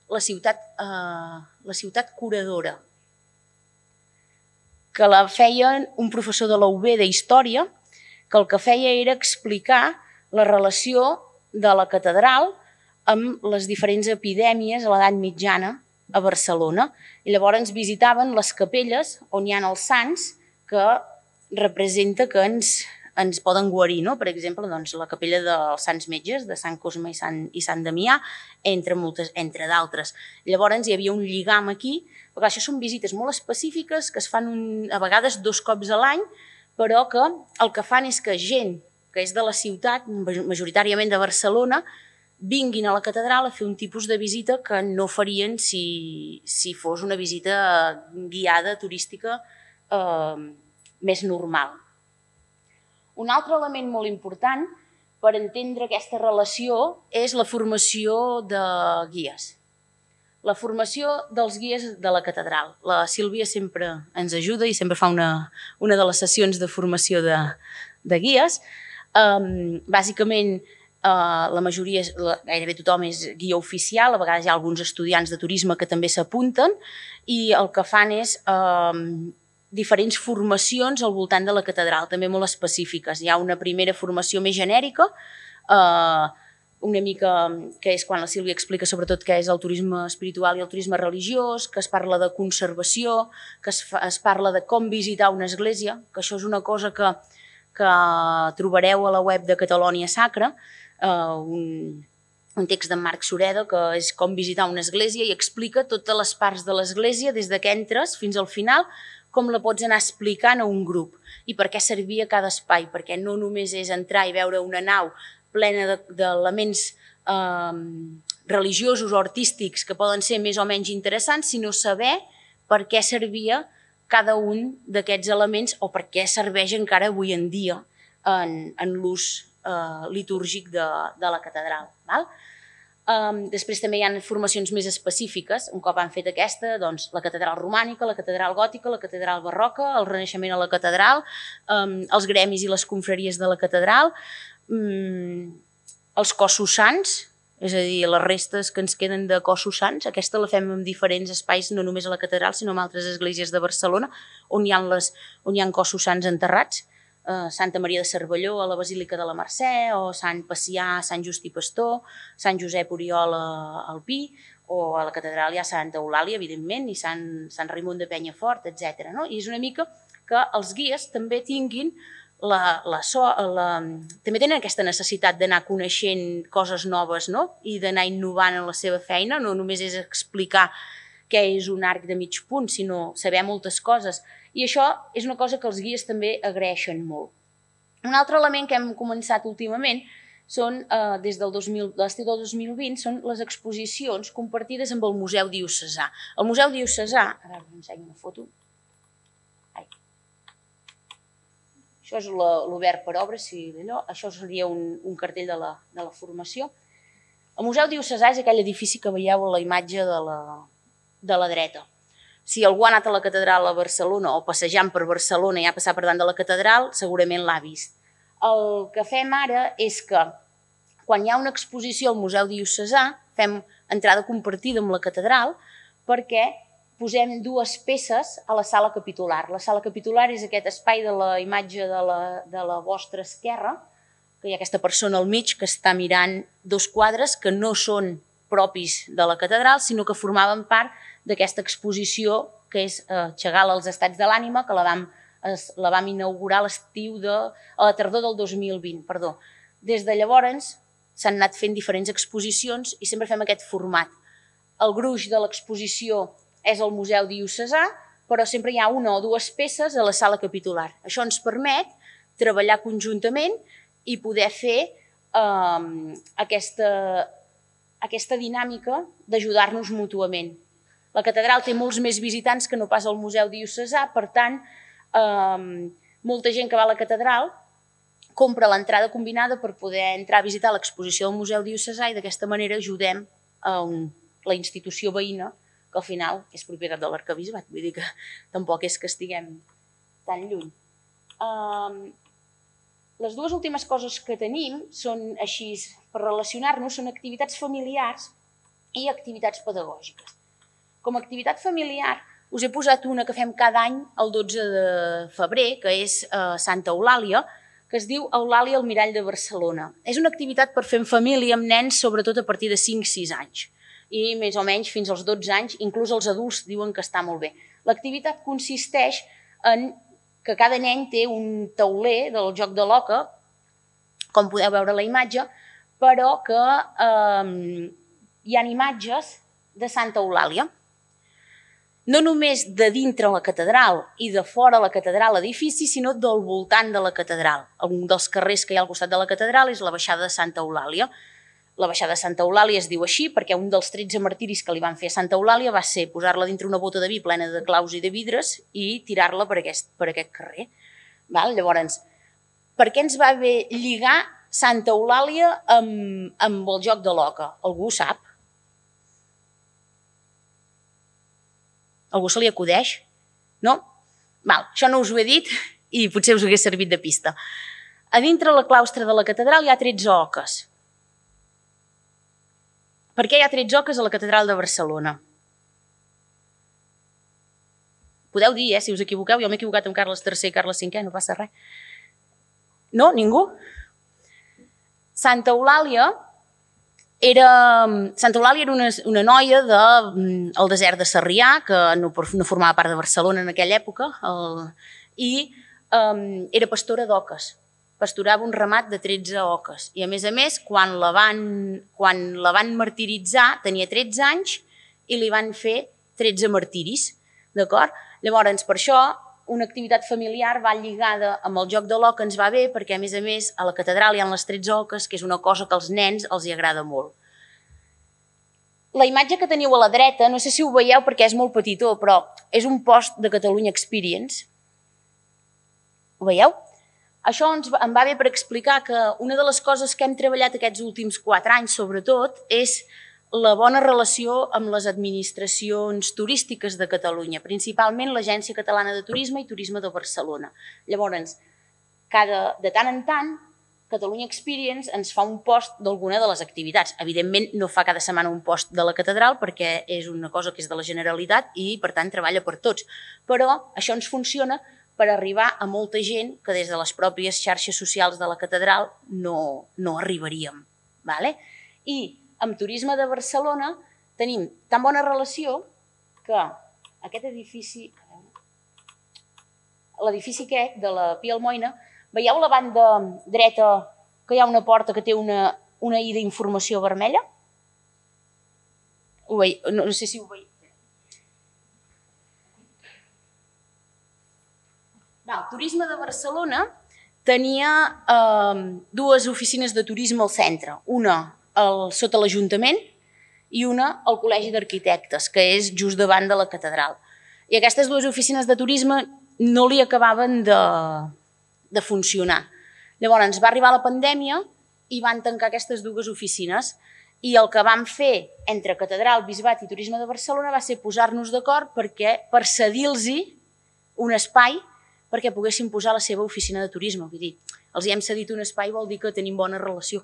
la ciutat curadora, que la feien un professor de la UB d'Història, que el que feia era explicar la relació de la catedral amb les diferents epidèmies a l'edat mitjana a Barcelona. I llavors visitaven les capelles on hi ha els sants que representa que ens poden guarir. Per exemple, la capella dels Sants Metges, de Sant Cosme i Sant Damià, entre d'altres. Llavors hi havia un lligam aquí, perquè això són visites molt específiques que es fan a vegades 2 cops a l'any, però que el que fan és que gent que és de la ciutat, majoritàriament de Barcelona, vinguin a la catedral a fer un tipus de visita que no farien si fos una visita guiada turística més normal. Un altre element molt important per entendre aquesta relació és la formació de guies. La formació dels guies de la catedral. La Sílvia sempre ens ajuda i sempre fa una de les sessions de formació de guies. Bàsicament, la majoria, gairebé tothom és guia oficial, a vegades hi ha alguns estudiants de turisme que també s'apunten i el que fan és diferents formacions al voltant de la catedral, també molt específiques. Hi ha una primera formació més genèrica, una mica que és quan la Sílvia explica sobretot què és el turisme espiritual i el turisme religiós, que es parla de conservació, que es parla de com visitar una església, que això és una cosa que trobareu a la web de Catalònia Sacra, un text d'en Marc Sureda que és com visitar una església i explica totes les parts de l'església des que entres fins al final, com la pots anar explicant a un grup i per què servia cada espai, perquè no només és entrar i veure una nau plena d'elements religiosos o artístics que poden ser més o menys interessants, sinó saber per què servia cada un d'aquests elements o per què serveix encara avui en dia en l'ús litúrgic de la catedral. Després també hi ha formacions més específiques. Un cop han fet aquesta, doncs la catedral romànica, la catedral gòtica, la catedral barroca, el renaixement a la catedral, els gremis i les confraries de la catedral, els cossos sants, és a dir, les restes que ens queden de cossos sants. Aquesta la fem en diferents espais, no només a la catedral, sinó en altres esglésies de Barcelona, on hi ha cossos sants enterrats. Santa Maria de Cervelló a la Basílica de la Mercè, o Sant Pacià, Sant Just i Pastor, Sant Josep Oriol al Pi, o a la catedral hi ha Santa Eulàlia, evidentment, i Sant Raimon de Penyafort, etc. I és una mica que els guies també tinguin també tenen aquesta necessitat d'anar coneixent coses noves i d'anar innovant en la seva feina, no només és explicar què és un arc de mig punt, sinó saber moltes coses. I això és una cosa que els guies també agraeixen molt. Un altre element que hem començat últimament són, des de l'estiu del 2020, són les exposicions compartides amb el Museu Diocesà. El Museu Diocesà, ara us ensenyo una foto. Això és l'obert per obres, això seria un cartell de la formació. El Museu Diocesà és aquell edifici que veieu a la imatge de la dreta. Si algú ha anat a la catedral a Barcelona o passejant per Barcelona i ha passat per davant de la catedral, segurament l'ha vist. El que fem ara és que quan hi ha una exposició al Museu Diocesà fem entrada compartida amb la catedral perquè posem dues peces a la sala capitular. La sala capitular és aquest espai de la imatge de la vostra esquerra, que hi ha aquesta persona al mig que està mirant dos quadres que no són propis de la catedral, sinó que formaven part d'aquesta exposició que és Chagall als estats de l'ànima, que la vam inaugurar a la tardor del 2020. Des de llavors s'han anat fent diferents exposicions i sempre fem aquest format. El gruix de l'exposició és el Museu Diocesà, però sempre hi ha una o dues peces a la sala capitular. Això ens permet treballar conjuntament i poder fer aquesta dinàmica d'ajudar-nos mútuament. La catedral té molts més visitants que no pas el Museu Diocesà, per tant, molta gent que va a la catedral compra l'entrada combinada per poder entrar a visitar l'exposició del Museu Diocesà i d'aquesta manera ajudem la institució veïna, que al final és propietat de l'arquebisbat, vull dir que tampoc és que estiguem tan lluny. Les dues últimes coses que tenim són així, per relacionar-nos, són activitats familiars i activitats pedagògiques. Com a activitat familiar us he posat una que fem cada any el 12 de febrer, que és Santa Eulàlia, que es diu Eulàlia al Mirall de Barcelona. És una activitat per fer en família amb nens, sobretot a partir de 5-6 anys. I més o menys fins als 12 anys, inclús els adults diuen que està molt bé. L'activitat consisteix en que cada nen té un tauler del joc de l'oca, com podeu veure a la imatge, però que hi ha imatges de Santa Eulàlia. No només de dintre la catedral i de fora la catedral l'edifici, sinó del voltant de la catedral. Un dels carrers que hi ha al costat de la catedral és la baixada de Santa Eulàlia. La baixada de Santa Eulàlia es diu així perquè un dels 13 martiris que li van fer a Santa Eulàlia va ser posar-la dintre una bota de vi plena de claus i de vidres i tirar-la per aquest carrer. Llavors, per què ens va bé lligar Santa Eulàlia amb el joc de l'oca? Algú ho sap? Algú se li acudeix? No? Això no us ho he dit i potser us hagués servit de pista. A dintre la claustre de la catedral hi ha 13 oques. Per què hi ha 13 oques a la catedral de Barcelona? Podeu dir, si us equivoqueu, jo m'he equivocat amb Carles III i Carles V, no passa res. No? Ningú? Santa Eulàlia era una noia del desert de Sarrià, que no formava part de Barcelona en aquella època, i era pastora d'oques. Pastorava un ramat de 13 oques. I a més, quan la van martiritzar, tenia 13 anys i li van fer 13 martiris. Llavors, per això, una activitat familiar va lligada amb el joc de l'oca, ens va bé, perquè a més a la catedral hi ha les 13 oques, que és una cosa que als nens els agrada molt. La imatge que teniu a la dreta, no sé si ho veieu perquè és molt petitó, però és un post de Catalunya Experience. Ho veieu? Això em va bé per explicar que una de les coses que hem treballat aquests últims 4 anys, sobretot, és la bona relació amb les administracions turístiques de Catalunya, principalment l'Agència Catalana de Turisme i Turisme de Barcelona. Llavors, de tant en tant, Catalunya Experience ens fa un post d'alguna de les activitats. Evidentment, no fa cada setmana un post de la catedral perquè és una cosa que és de la Generalitat i, per tant, treballa per tots. Però això ens funciona per arribar a molta gent que des de les pròpies xarxes socials de la catedral no arribaríem. I amb Turisme de Barcelona tenim tan bona relació que aquest edifici, l'edifici aquest de la Pia Almoina, veieu a la banda dreta que hi ha una porta que té una i d'informació vermella? No sé si ho veieu. Turisme de Barcelona tenia dues oficines de turisme al centre, una sota l'Ajuntament i una al Col·legi d'Arquitectes, que és just davant de la catedral. I aquestes dues oficines de turisme no li acabaven de funcionar. Llavors va arribar la pandèmia i van tancar aquestes dues oficines i el que vam fer entre Catedral, Bisbat i Turisme de Barcelona va ser posar-nos d'acord per cedir-los un espai perquè poguessin posar la seva oficina de turisme. Vull dir, els hem cedit un espai vol dir que tenim bona relació.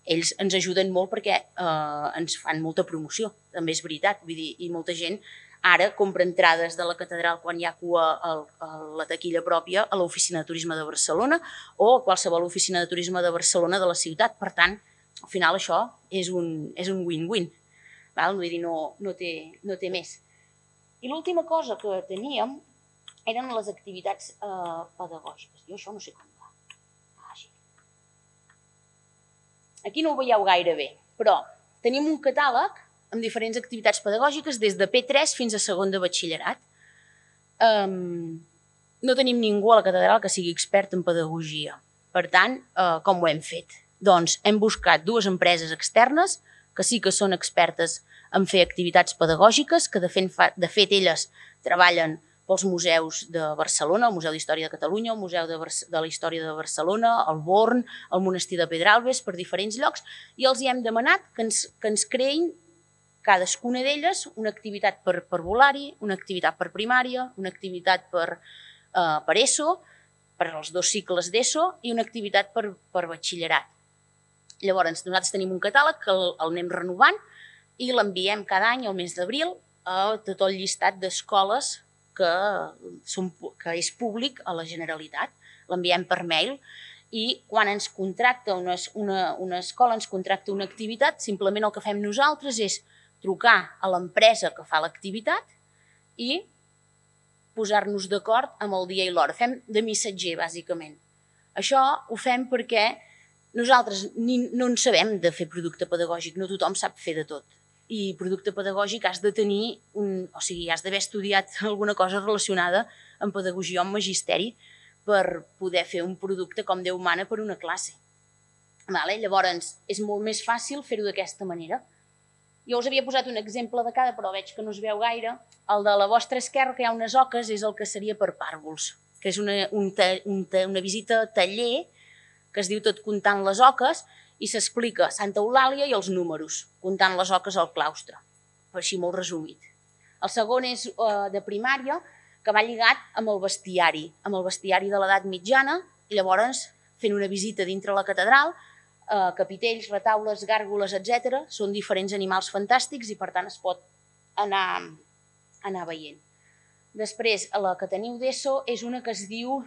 Ells ens ajuden molt perquè ens fan molta promoció, també és veritat. Vull dir, i molta gent ara compra entrades de la catedral quan hi ha cua a la taquilla pròpia a l'oficina de turisme de Barcelona o a qualsevol oficina de turisme de Barcelona de la ciutat. Per tant, al final això és un win-win. Vull dir, no té més. I l'última cosa que teníem eren les activitats pedagògiques. Jo això no sé com va. Aquí no ho veieu gaire bé, però tenim un catàleg amb diferents activitats pedagògiques des de P3 fins a segon de batxillerat. No tenim ningú a la catedral que sigui expert en pedagogia. Per tant, com ho hem fet? Doncs hem buscat dues empreses externes que sí que són expertes en fer activitats pedagògiques, que de fet elles treballen pels museus de Barcelona, el Museu d'Història de Catalunya, el Museu de la Història de Barcelona, el Born, el Monestir de Pedralbes, per diferents llocs, i els hi hem demanat que ens creïn cadascuna d'elles una activitat per volar-hi, una activitat per primària, una activitat per ESO, per als 2 cicles d'ESO i una activitat per batxillerat. Llavors, nosaltres tenim un catàleg que el anem renovant i l'enviem cada any, al mes d'abril, a tot el llistat d'escoles que és públic a la Generalitat. L'enviem per mail i quan ens contracta una escola, ens contracta una activitat, simplement el que fem nosaltres és trucar a l'empresa que fa l'activitat i posar-nos d'acord amb el dia i l'hora. Fem de missatger, bàsicament. Això ho fem perquè nosaltres no en sabem de fer producte pedagògic, no tothom sap fer de tot. I producte pedagògic has de tenir, has d'haver estudiat alguna cosa relacionada amb pedagogia o amb magisteri per poder fer un producte com Déu mana per una classe. Llavors, és molt més fàcil fer-ho d'aquesta manera. Jo us havia posat un exemple de cada, però veig que no es veu gaire. El de la vostra esquerra, que hi ha unes oques, és el que seria per pàrvuls, que és una visita a taller que es diu Tot comptant les oques i s'explica Santa Eulàlia i els números, comptant les oques al claustre, per així molt resumit. El segon és de primària, que va lligat amb el bestiari de l'edat mitjana, i llavors fent una visita dintre la catedral, capitells, retaules, gàrgoles, etc. Són diferents animals fantàstics i per tant es pot anar veient. Després, la que teniu d'ESO és una que es diu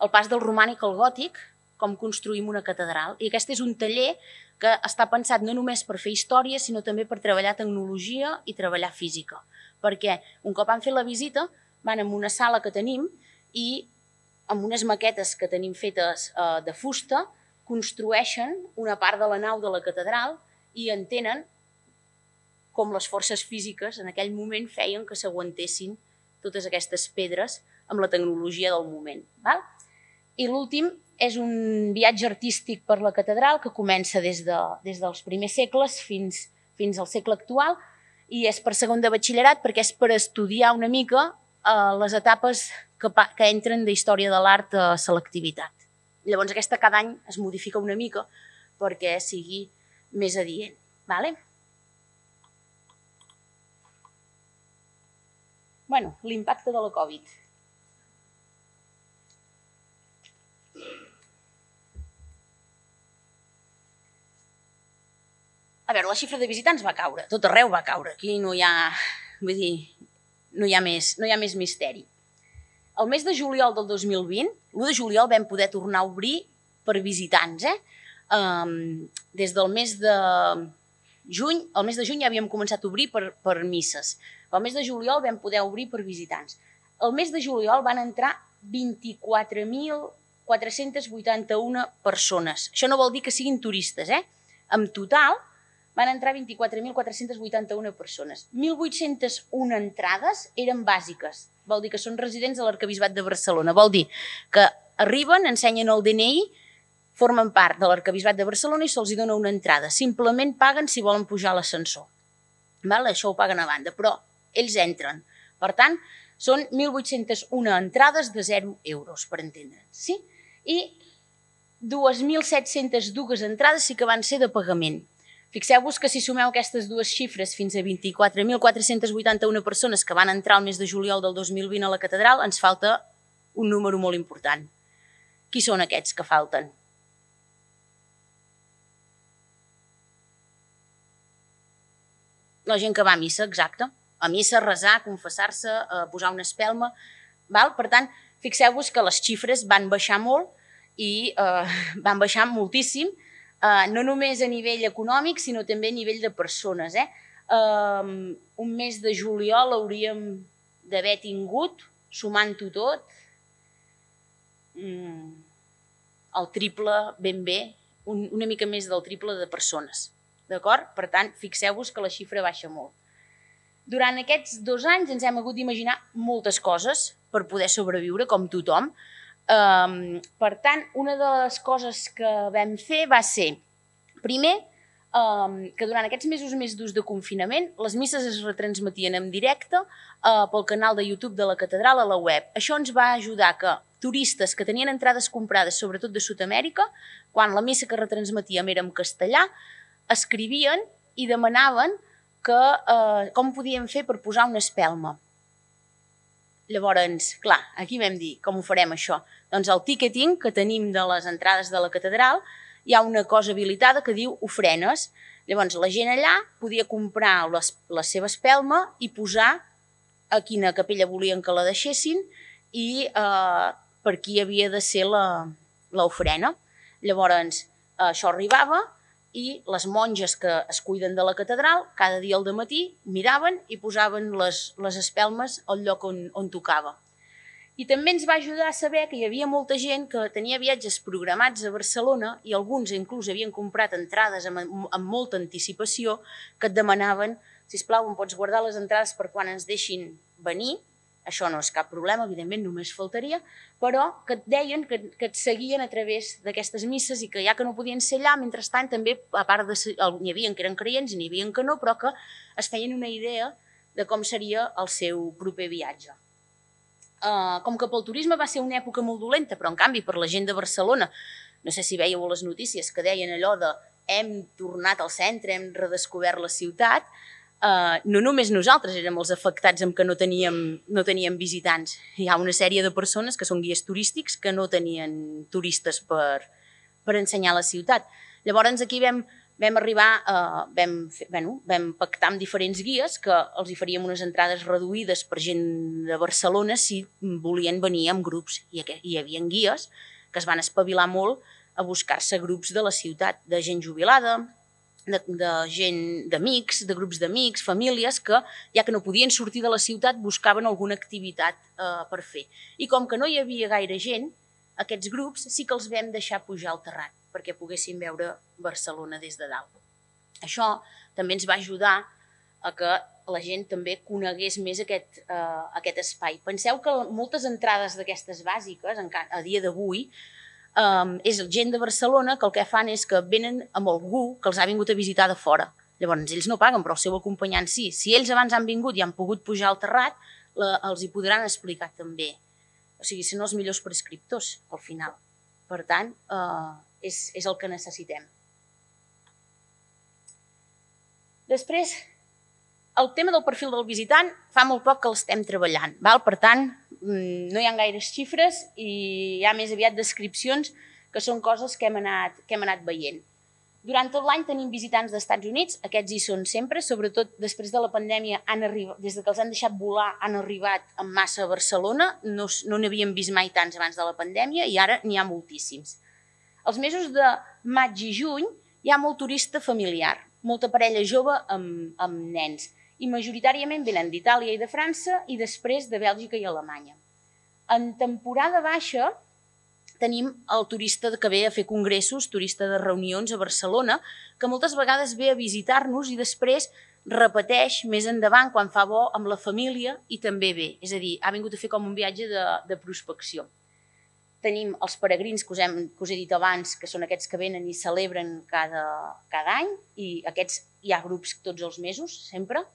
El pas del romànic al gòtic, com construïm una catedral. I aquest és un taller que està pensat no només per fer història, sinó també per treballar tecnologia i treballar física. Perquè un cop han fet la visita, van a una sala que tenim i amb unes maquetes que tenim fetes de fusta, construeixen una part de la nau de la catedral i entenen com les forces físiques en aquell moment feien que s'aguantessin totes aquestes pedres amb la tecnologia del moment. I l'últim és un viatge artístic per la catedral que comença des dels primers segles fins al segle actual i és per segon de batxillerat perquè és per estudiar una mica les etapes que entren d'història de l'art a selectivitat. Llavors aquesta cada any es modifica una mica perquè sigui més adient. L'impacte de la Covid. A veure, la xifra de visitants va caure, tot arreu va caure, aquí no hi ha, vull dir, no hi ha més misteri. El mes de juliol del 2020, l'1 de juliol vam poder tornar a obrir per visitants. Des del mes de juny, el mes de juny ja havíem començat a obrir per misses. El mes de juliol vam poder obrir per visitants. El mes de juliol van entrar 24.481 persones. Això no vol dir que siguin turistes, En total van entrar 24.481 persones. 1.801 entrades eren bàsiques. Vol dir que són residents de l'Arquebisbat de Barcelona. Vol dir que arriben, ensenyen el DNI, formen part de l'Arquebisbat de Barcelona i se'ls dona una entrada. Simplement paguen si volen pujar a l'ascensor. Això ho paguen a banda, però ells entren. Per tant, són 1.801 entrades de 0 euros, per entendre'ns. I 2.702 entrades sí que van ser de pagament. Fixeu-vos que si sumeu aquestes dues xifres fins a 24.481 persones que van entrar el mes de juliol del 2020 a la catedral, ens falta un número molt important. Qui són aquests que falten? La gent que va a missa, exacte. A missa, a resar, a confessar-se, a posar una espelma. Per tant, fixeu-vos que les xifres van baixar molt i van baixar moltíssim, no només a nivell econòmic, sinó també a nivell de persones. Un mes de juliol hauríem d'haver tingut, sumant-ho tot, el triple ben bé, una mica més del triple de persones. D'acord? Per tant, fixeu-vos que la xifra baixa molt. Durant aquests 2 anys ens hem hagut d'imaginar moltes coses per poder sobreviure, com tothom. Per tant, una de les coses que vam fer va ser, primer, que durant aquests mesos més durs de confinament les misses es retransmetien en directe pel canal de YouTube de la catedral a la web. Això ens va ajudar que turistes que tenien entrades comprades, sobretot de Sud-amèrica, quan la missa que retransmetíem era en castellà, escrivien i demanaven com podíem fer per posar una espelma. Llavors, clar, aquí vam dir, com ho farem això? Doncs al ticketing que tenim de les entrades de la catedral hi ha una cosa habilitada que diu ofrenes. Llavors, la gent allà podia comprar la seva espelma i posar a quina capella volien que la deixessin i per qui havia de ser l'ofrena. Llavors, això arribava i les monges que es cuiden de la catedral, cada dia al dematí miraven i posaven les espelmes al lloc on tocava. I també ens va ajudar a saber que hi havia molta gent que tenia viatges programats a Barcelona i alguns inclús havien comprat entrades amb molta anticipació que et demanaven, sisplau, em pots guardar les entrades per quan ens deixin venir. Això no és cap problema, evidentment, només faltaria, però que et deien que et seguien a través d'aquestes misses i que ja que no podien ser allà, mentrestant també, a part n'hi havia que eren creients i n'hi havia que no, però que es feien una idea de com seria el seu proper viatge. Com que pel turisme va ser una època molt dolenta, però en canvi per la gent de Barcelona, no sé si veieu les notícies que deien allò de hem tornat al centre, hem redescobert la ciutat, no només nosaltres érem els afectats amb que no teníem visitants. Hi ha una sèrie de persones que són guies turístics que no tenien turistes per ensenyar la ciutat. Llavors aquí vam pactar amb diferents guies que els hi faríem unes entrades reduïdes per gent de Barcelona si volien venir en grups. I hi havia guies que es van espavilar molt a buscar-se grups de la ciutat, de gent jubilada, de gent d'amics, de grups d'amics, famílies que, ja que no podien sortir de la ciutat, buscaven alguna activitat per fer. I com que no hi havia gaire gent, aquests grups sí que els vam deixar pujar al terrat perquè poguessin veure Barcelona des de dalt. Això també ens va ajudar a que la gent també conegués més aquest espai. Penseu que moltes entrades d'aquestes bàsiques, a dia d'avui, és gent de Barcelona que el que fan és que venen amb algú que els ha vingut a visitar de fora. Llavors, ells no paguen, però el seu acompanyant sí. Si ells abans han vingut i han pogut pujar al terrat, els hi podran explicar també. O sigui, són els millors prescriptors, al final. Per tant, és el que necessitem. Després, el tema del perfil del visitant fa molt poc que l'estem treballant. Per tant, no hi ha gaires xifres i hi ha més aviat descripcions que són coses que hem anat veient. Durant tot l'any tenim visitants dels Estats Units, aquests hi són sempre, sobretot després de la pandèmia, des que els han deixat volar, han arribat en massa a Barcelona, no n'havíem vist mai tants abans de la pandèmia i ara n'hi ha moltíssims. Els mesos de maig i juny hi ha molt turista familiar, molta parella jove amb nens, i majoritàriament venen d'Itàlia i de França i després de Bèlgica i Alemanya. En temporada baixa tenim el turista que ve a fer congressos, turista de reunions a Barcelona, que moltes vegades ve a visitar-nos i després repeteix més endavant quan fa bo amb la família i també ve. És a dir, ha vingut a fer com un viatge de prospecció. Tenim els peregrins que us he dit abans, que són aquests que venen i celebren cada any, i aquests hi ha grups tots els mesos, sempre.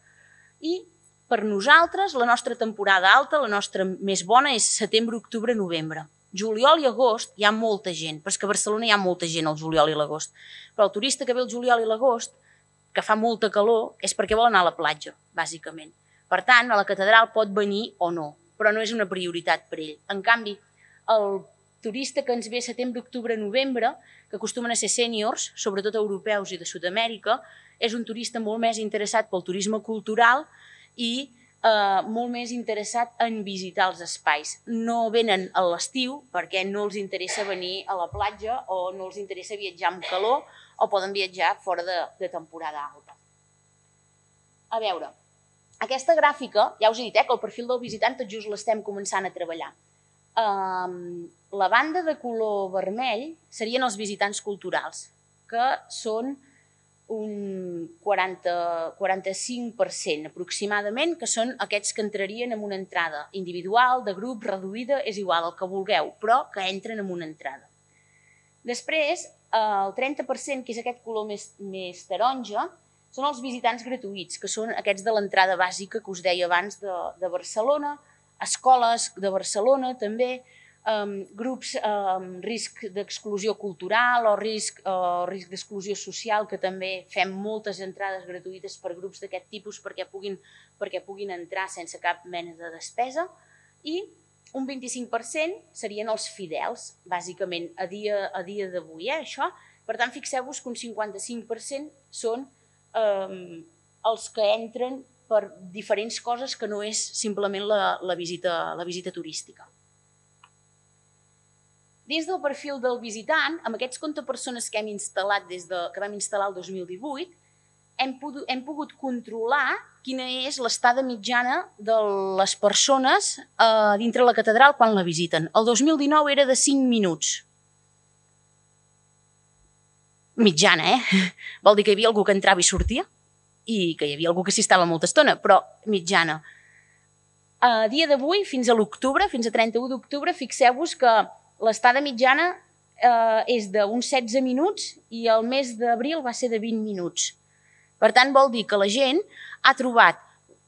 I per nosaltres, la nostra temporada alta, la nostra més bona, és setembre, octubre, novembre. Juliol i agost hi ha molta gent, però és que a Barcelona hi ha molta gent al juliol i l'agost. Però el turista que ve el juliol i l'agost, que fa molta calor, és perquè vol anar a la platja, bàsicament. Per tant, a la catedral pot venir o no, però no és una prioritat per ell. En canvi, el turista que ens ve setembre, octubre, novembre, que acostumen a ser sèniors, sobretot europeus i de Sud-amèrica, és un turista molt més interessat pel turisme cultural i molt més interessat en visitar els espais. No venen a l'estiu perquè no els interessa venir a la platja o no els interessa viatjar amb calor o poden viatjar fora de temporada alta. A veure, aquesta gràfica, ja us he dit que el perfil del visitant tot just l'estem començant a treballar. La banda de color vermell serien els visitants culturals, que són un 45% aproximadament, que són aquests que entrarien en una entrada individual, de grup, reduïda, és igual, el que vulgueu, però que entren en una entrada. Després, el 30%, que és aquest color més taronja, són els visitants gratuïts, que són aquests de l'entrada bàsica que us deia abans de Barcelona, escoles de Barcelona també, grups amb risc d'exclusió cultural o risc d'exclusió social, que també fem moltes entrades gratuïtes per grups d'aquest tipus perquè puguin entrar sense cap mena de despesa, i un 25% serien els fidels, bàsicament a dia d'avui, això. Per tant, fixeu-vos que un 55% són els que entren per diferents coses que no és simplement la visita turística. Dins del perfil del visitant, amb aquests compte persones que hem instal·lat que vam instal·lar el 2018, hem pogut controlar quina és l'estada mitjana de les persones dintre la catedral quan la visiten. El 2019 era de 5 minuts. Mitjana, Vol dir que hi havia algú que entrava i sortia i que hi havia algú que s'hi estava molta estona, però mitjana. A dia d'avui, fins a l'octubre, fins a 31 d'octubre, fixeu-vos que l'estada mitjana és d'uns 16 minuts i el mes d'abril va ser de 20 minuts. Per tant, vol dir que la gent ha trobat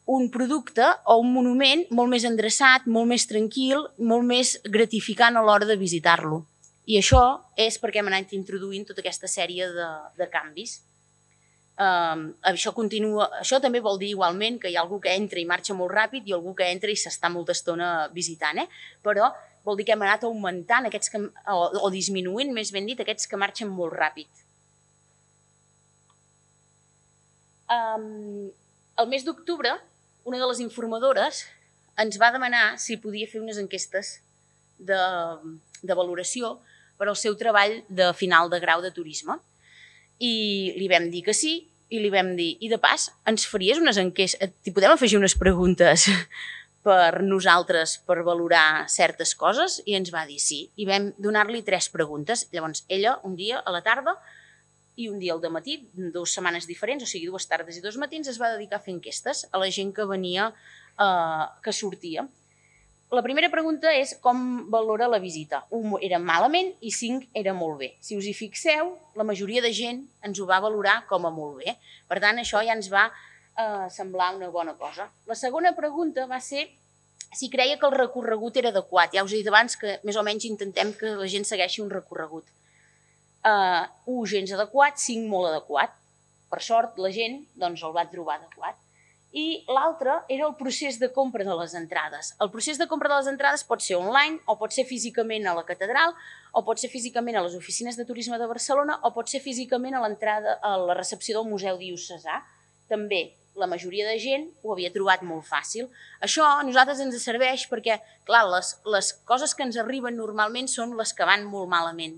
un producte o un monument molt més endreçat, molt més tranquil, molt més gratificant a l'hora de visitar-lo. I això és perquè hem anat introduint tota aquesta sèrie de canvis. Això també vol dir igualment que hi ha algú que entra i marxa molt ràpid i algú que entra i s'està molta estona visitant, però vol dir que hem anat augmentant o disminuint, més ben dit, aquests que marxen molt ràpid. El mes d'octubre, una de les informadores ens va demanar si podia fer unes enquestes de valoració per al seu treball de final de grau de turisme. I li vam dir que sí, i li vam dir, i de pas, ens faries unes enquestes, t'hi podem afegir unes preguntes per nosaltres per valorar certes coses? I ens va dir sí, i vam donar-li 3 preguntes. Llavors, ella, un dia a la tarda i un dia al dematí, 2 setmanes diferents, o sigui, 2 tardes i 2 matins, es va dedicar a fer enquestes a la gent que venia, que sortia. La primera pregunta és com valora la visita. 1 era malament i 5 era molt bé. Si us hi fixeu, la majoria de gent ens ho va valorar com a molt bé. Per tant, això ja ens va semblar una bona cosa. La segona pregunta va ser si creia que el recorregut era adequat. Ja us he dit abans que més o menys intentem que la gent segueixi un recorregut. 1 gens adequat, 5 molt adequat. Per sort, la gent el va trobar adequat. I l'altre era el procés de compra de les entrades. El procés de compra de les entrades pot ser online, o pot ser físicament a la catedral, o pot ser físicament a les oficines de turisme de Barcelona, o pot ser físicament a l'entrada a la recepció del Museu Diocesà. També la majoria de gent ho havia trobat molt fàcil. Això a nosaltres ens serveix perquè, clar, les coses que ens arriben normalment són les que van molt malament.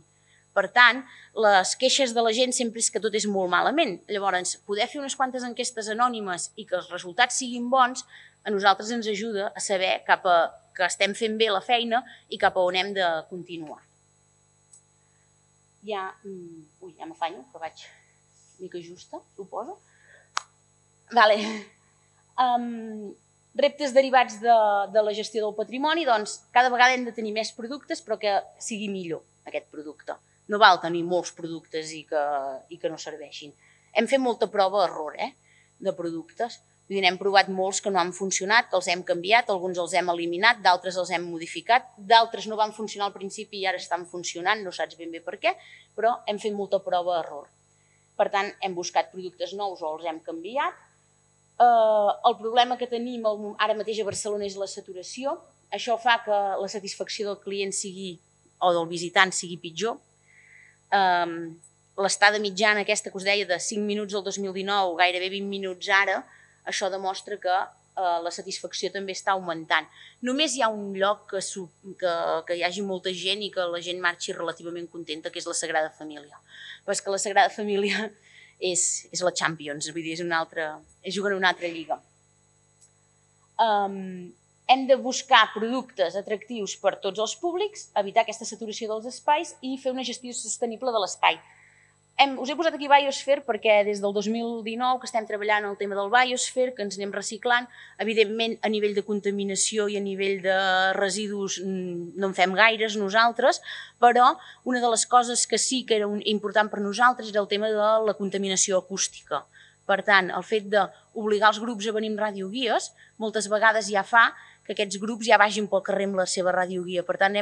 Per tant, les queixes de la gent sempre és que tot és molt malament. Llavors, poder fer unes quantes enquestes anònimes i que els resultats siguin bons, a nosaltres ens ajuda a saber que estem fent bé la feina i cap a on hem de continuar. Ja m'afanyo, que vaig una mica justa, suposo. Reptes derivats de la gestió del patrimoni, doncs cada vegada hem de tenir més productes però que sigui millor aquest producte. No val tenir molts productes i que no serveixin. Hem fet molta prova-error de productes. N'hem provat molts que no han funcionat, que els hem canviat, alguns els hem eliminat, d'altres els hem modificat, d'altres no van funcionar al principi i ara estan funcionant, no saps ben bé per què, però hem fet molta prova-error. Per tant, hem buscat productes nous o els hem canviat. El problema que tenim ara mateix a Barcelona és la saturació. Això fa que la satisfacció del client o del visitant sigui pitjor. L'estada mitjana aquesta que us deia de 5 minuts el 2019, gairebé 20 minuts ara, això demostra que la satisfacció també està augmentant. Només hi ha un lloc que hi hagi molta gent i que la gent marxi relativament contenta, que és la Sagrada Família. Però és que la Sagrada Família és la Champions, vull dir, juguen una altra lliga. Hem de buscar productes atractius per tots els públics, evitar aquesta saturació dels espais i fer una gestió sostenible de l'espai. Us he posat aquí Biosphere perquè des del 2019 que estem treballant el tema del Biosphere, que ens anem reciclant, evidentment a nivell de contaminació i a nivell de residus no en fem gaires nosaltres, però una de les coses que sí que era important per nosaltres era el tema de la contaminació acústica. Per tant, el fet d'obligar els grups a venir amb radioguies moltes vegades ja fa que aquests grups ja vagin pel carrer amb la seva radioguia. Per tant,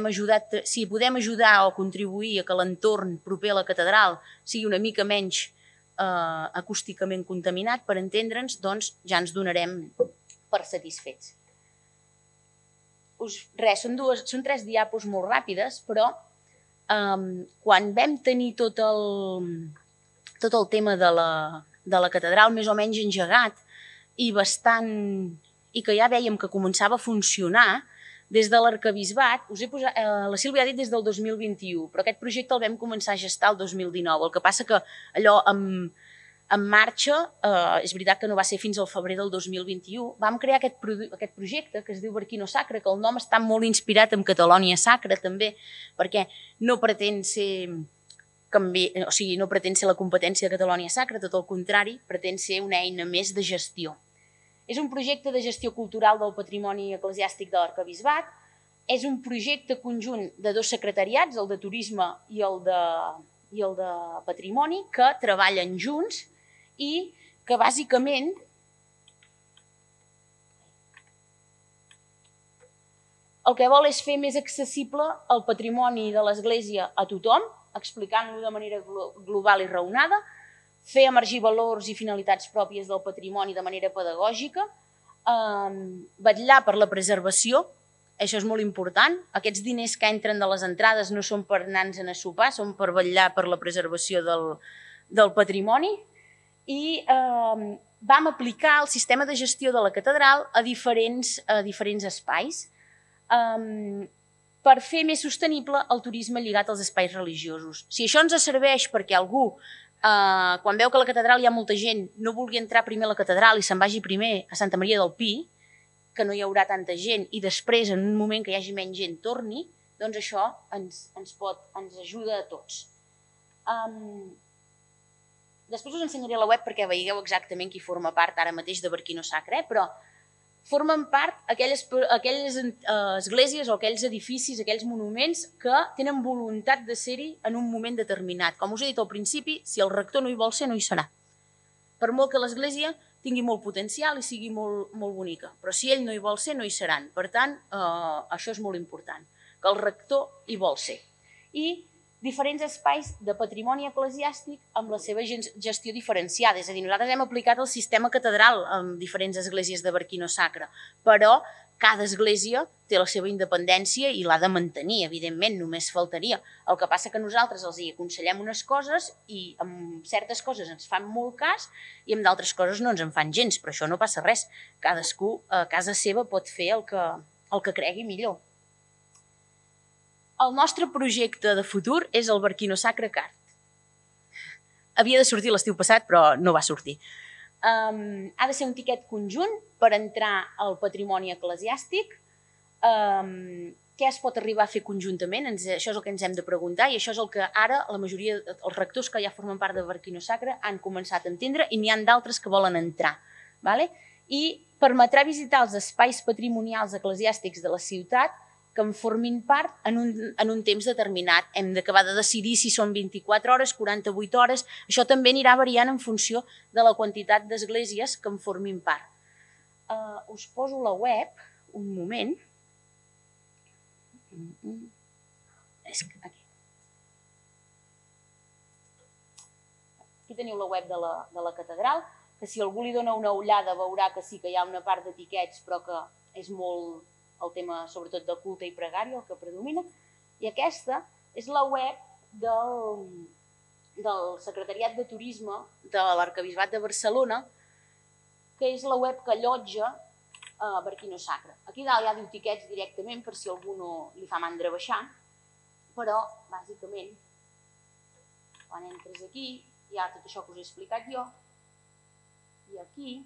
si podem ajudar o contribuir a que l'entorn proper a la catedral sigui una mica menys acústicament contaminat, per entendre'ns, doncs ja ens donarem per satisfets. Són 3 diapos molt ràpides, però quan vam tenir tot el tema de la catedral més o menys engegat i que ja vèiem que començava a funcionar, des de l'arquebisbat, la Sílvia ha dit des del 2021, però aquest projecte el vam començar a gestar el 2019. El que passa que allò en marxa, és veritat que no va ser fins al febrer del 2021, vam crear aquest projecte que es diu Barquino Sacra, que el nom està molt inspirat en Catalònia Sacra també, perquè no pretén ser la competència de Catalònia Sacra, tot el contrari, pretén ser una eina més de gestió. És un projecte de gestió cultural del patrimoni eclesiàstic de l'arquebisbat, és un projecte conjunt de 2 secretariats, el de turisme i el de patrimoni, que treballen junts i que bàsicament el que vol és fer més accessible el patrimoni de l'Església a tothom, explicant-lo de manera global i raonada, fer emergir valors i finalitats pròpies del patrimoni de manera pedagògica, vetllar per la preservació, això és molt important. Aquests diners que entren de les entrades no són per anar-nos a sopar, són per vetllar per la preservació del patrimoni. I vam aplicar el sistema de gestió de la catedral a diferents espais per fer més sostenible el turisme lligat als espais religiosos. Si això ens serveix perquè algú, quan veu que a la catedral hi ha molta gent, no vulgui entrar primer a la catedral i se'n vagi primer a Santa Maria del Pi, que no hi haurà tanta gent, i després, en un moment que hi hagi menys gent, torni, doncs això ens ajuda a tots. Després us ensenyaré la web perquè veieu exactament qui forma part ara mateix de Barquino Sacra, però formen part aquelles esglésies o aquells edificis, aquells monuments que tenen voluntat de ser-hi en un moment determinat. Com us he dit al principi, si el rector no hi vol ser, no hi serà. Per molt que l'església tingui molt potencial i sigui molt bonica, però si ell no hi vol ser, no hi seran. Per tant, això és molt important, que el rector hi vol ser. I diferents espais de patrimoni eclesiàstic amb la seva gestió diferenciada. És a dir, nosaltres hem aplicat el sistema catedral en diferents esglésies de Barquino Sacra, però cada església té la seva independència i l'ha de mantenir, evidentment, només faltaria. El que passa que nosaltres els hi aconsellem unes coses i amb certes coses ens fan molt cas i amb d'altres coses no ens en fan gens, però això no passa res. Cadascú a casa seva pot fer el que cregui millor. El nostre projecte de futur és el Barquino Sacra Card. Havia de sortir l'estiu passat, però no va sortir. Ha de ser un tiquet conjunt per entrar al patrimoni eclesiàstic. Què es pot arribar a fer conjuntament? Això és el que ens hem de preguntar i això és el que ara la majoria dels rectors que ja formen part de Barquino Sacra han començat a entendre i n'hi ha d'altres que volen entrar. I permetrà visitar els espais patrimonials eclesiàstics de la ciutat que en formin part en un temps determinat. Hem d'acabar de decidir si són 24 hores, 48 hores. Això també anirà variant en funció de la quantitat d'esglésies que en formin part. Us poso la web, un moment. Aquí teniu la web de la catedral, que si algú li dona una ullada veurà que sí que hi ha una part d'etiquets, però que és molt el tema, sobretot, de culte i pregària, el que predomina. I aquesta és la web del Secretariat de Turisme de l'Arquebisbat de Barcelona, que és la web que allotja Barquino Sacra. Aquí dalt hi ha tiquets directament per si algú no li fa mandra baixar, però, bàsicament, quan entres aquí, hi ha tot això que us he explicat jo, i aquí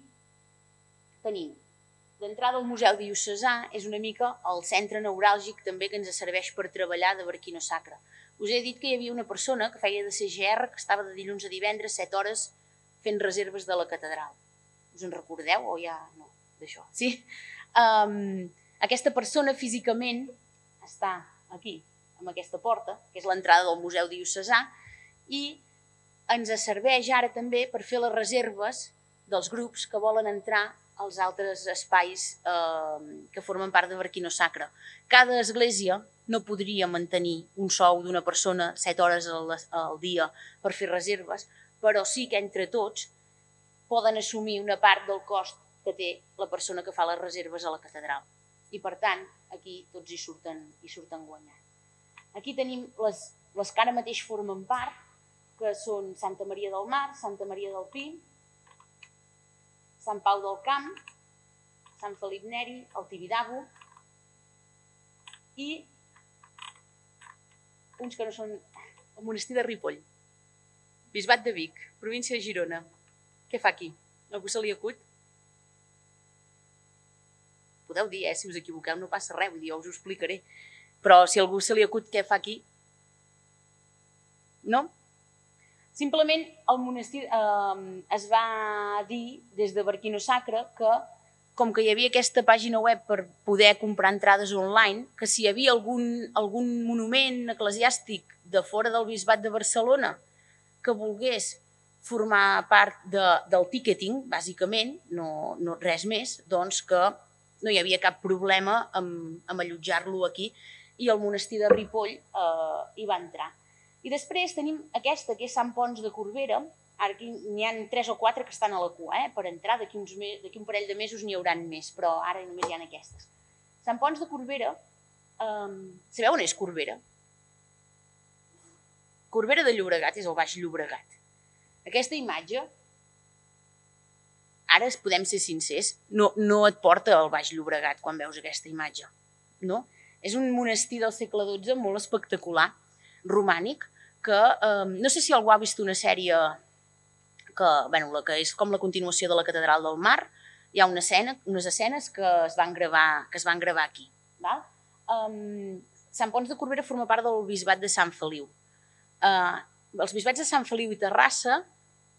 tenim d'entrada al Museu Diocesà, és una mica el centre neuràlgic també que ens serveix per treballar de Barquino Sacra. Us he dit que hi havia una persona que feia de CGR, que estava de dilluns a divendres 7 hores fent reserves de la catedral. Us en recordeu o ja no d'això? Sí? Aquesta persona físicament està aquí, amb aquesta porta, que és l'entrada del Museu Diocesà, i ens serveix ara també per fer les reserves dels grups que volen entrar als altres espais que formen part de Barquino Sacra. Cada església no podria mantenir un sou d'una persona 7 hores al dia per fer reserves, però sí que entre tots poden assumir una part del cost que té la persona que fa les reserves a la catedral. I per tant, aquí tots hi surten guanyant. Aquí tenim les que ara mateix formen part, que són Santa Maria del Mar, Santa Maria del Pi, Sant Pau del Camp, Sant Felip Neri, el Tibidabo i uns que no són el monestir de Ripoll, Bisbat de Vic, província de Girona. Què fa aquí? Algú se li acut? Podeu dir, si us equivoqueu no passa res, vull dir, jo us ho explicaré. Però si algú se li acut què fa aquí? No? Simplement el monestir es va dir des de Barquino Sacra que, com que hi havia aquesta pàgina web per poder comprar entrades online, que si hi havia algun monument eclesiàstic de fora del Bisbat de Barcelona que volgués formar part del ticketing, bàsicament, no res més, doncs que no hi havia cap problema amb allotjar-lo aquí i el monestir de Ripoll hi va entrar. I després tenim aquesta, que és Sant Ponç de Corbera. Ara aquí n'hi ha 3 o 4 que estan a la cua, per entrar, d'aquí un parell de mesos n'hi hauran més, però ara només hi ha aquestes. Sant Ponç de Corbera, sabeu on és Corbera? Corbera de Llobregat és el Baix Llobregat. Aquesta imatge, ara podem ser sincers, no et porta al Baix Llobregat quan veus aquesta imatge. És un monestir del segle XII molt espectacular, romànic, que no sé si algú ha vist una sèrie que és com la continuació de la Catedral del Mar. Hi ha unes escenes que es van gravar aquí. Sant Ponç de Corbera forma part del Bisbat de Sant Feliu. Els bisbats de Sant Feliu i Terrassa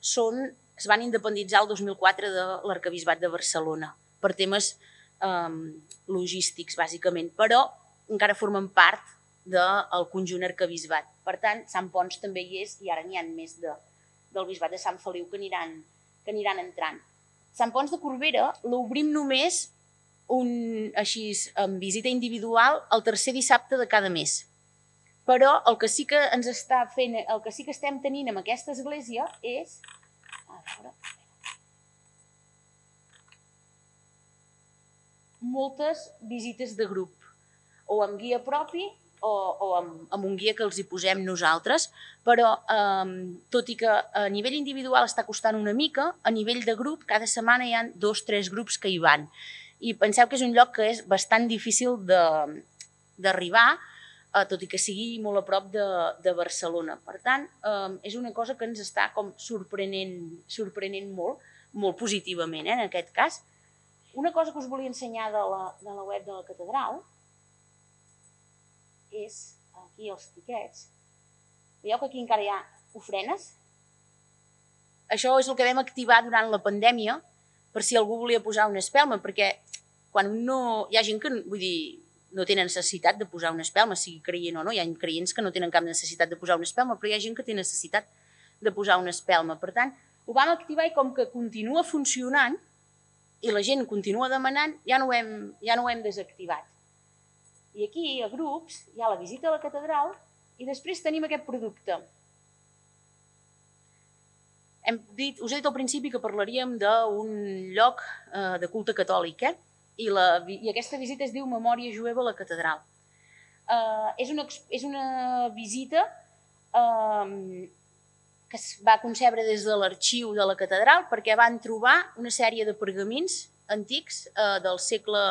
es van independitzar el 2004 de l'Arquebisbat de Barcelona per temes logístics, bàsicament, però encara formen part del conjunt arquebisbat. Per tant, Sant Ponç també hi és i ara n'hi ha més del Bisbat de Sant Feliu que aniran entrant. Sant Ponç de Corbera l'obrim només amb visita individual el tercer dissabte de cada mes. Però el que sí que ens està fent, el que sí que estem tenint amb aquesta església és... A veure... moltes visites de grup, o amb guia propi o amb un guia que els hi posem nosaltres, però tot i que a nivell individual està costant una mica, a nivell de grup cada setmana hi ha 2 o 3 grups que hi van. I penseu que és un lloc que és bastant difícil d'arribar, tot i que sigui molt a prop de Barcelona. Per tant, és una cosa que ens està com sorprenent molt positivament, en aquest cas. Una cosa que us volia ensenyar de la web de la catedral és aquí els tiquets. Veieu que aquí encara hi ha ofrenes? Això és el que vam activar durant la pandèmia per si algú volia posar una espelma, perquè quan hi ha gent que, vull dir, no tenen necessitat de posar una espelma, sigui creient o no, hi ha creients que no tenen cap necessitat de posar una espelma, però hi ha gent que té necessitat de posar una espelma. Per tant, ho vam activar i com que continua funcionant i la gent continua demanant, ja no ho hem desactivat. I aquí, a grups, hi ha la visita a la catedral i després tenim aquest producte. Us he dit al principi que parlaríem d'un lloc de culte catòlic, i aquesta visita es diu Memòria Jueva a la catedral. És una visita que es va concebre des de l'arxiu de la catedral perquè van trobar una sèrie de pergamins antics del segle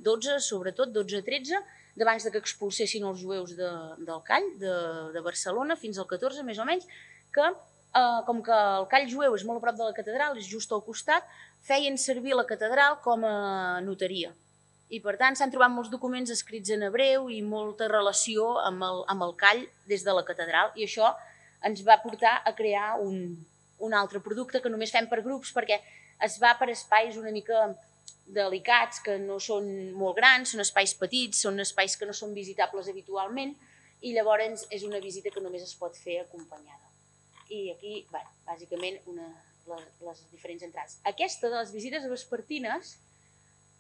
XII, sobretot XII-XIII, d'abans que expulsessin els jueus del Call, de Barcelona, fins al XIV, més o menys, que com que el Call jueu és molt a prop de la catedral, és just al costat, feien servir la catedral com a notaria. I per tant s'han trobat molts documents escrits en hebreu i molta relació amb el Call des de la catedral, i això ens va portar a crear un altre producte que només fem per grups perquè es va per espais una mica delicats, que no són molt grans, són espais petits, són espais que no són visitables habitualment, i llavors és una visita que només es pot fer acompanyada. I aquí, bàsicament, les diferents entrades. Aquesta de les visites vespertines,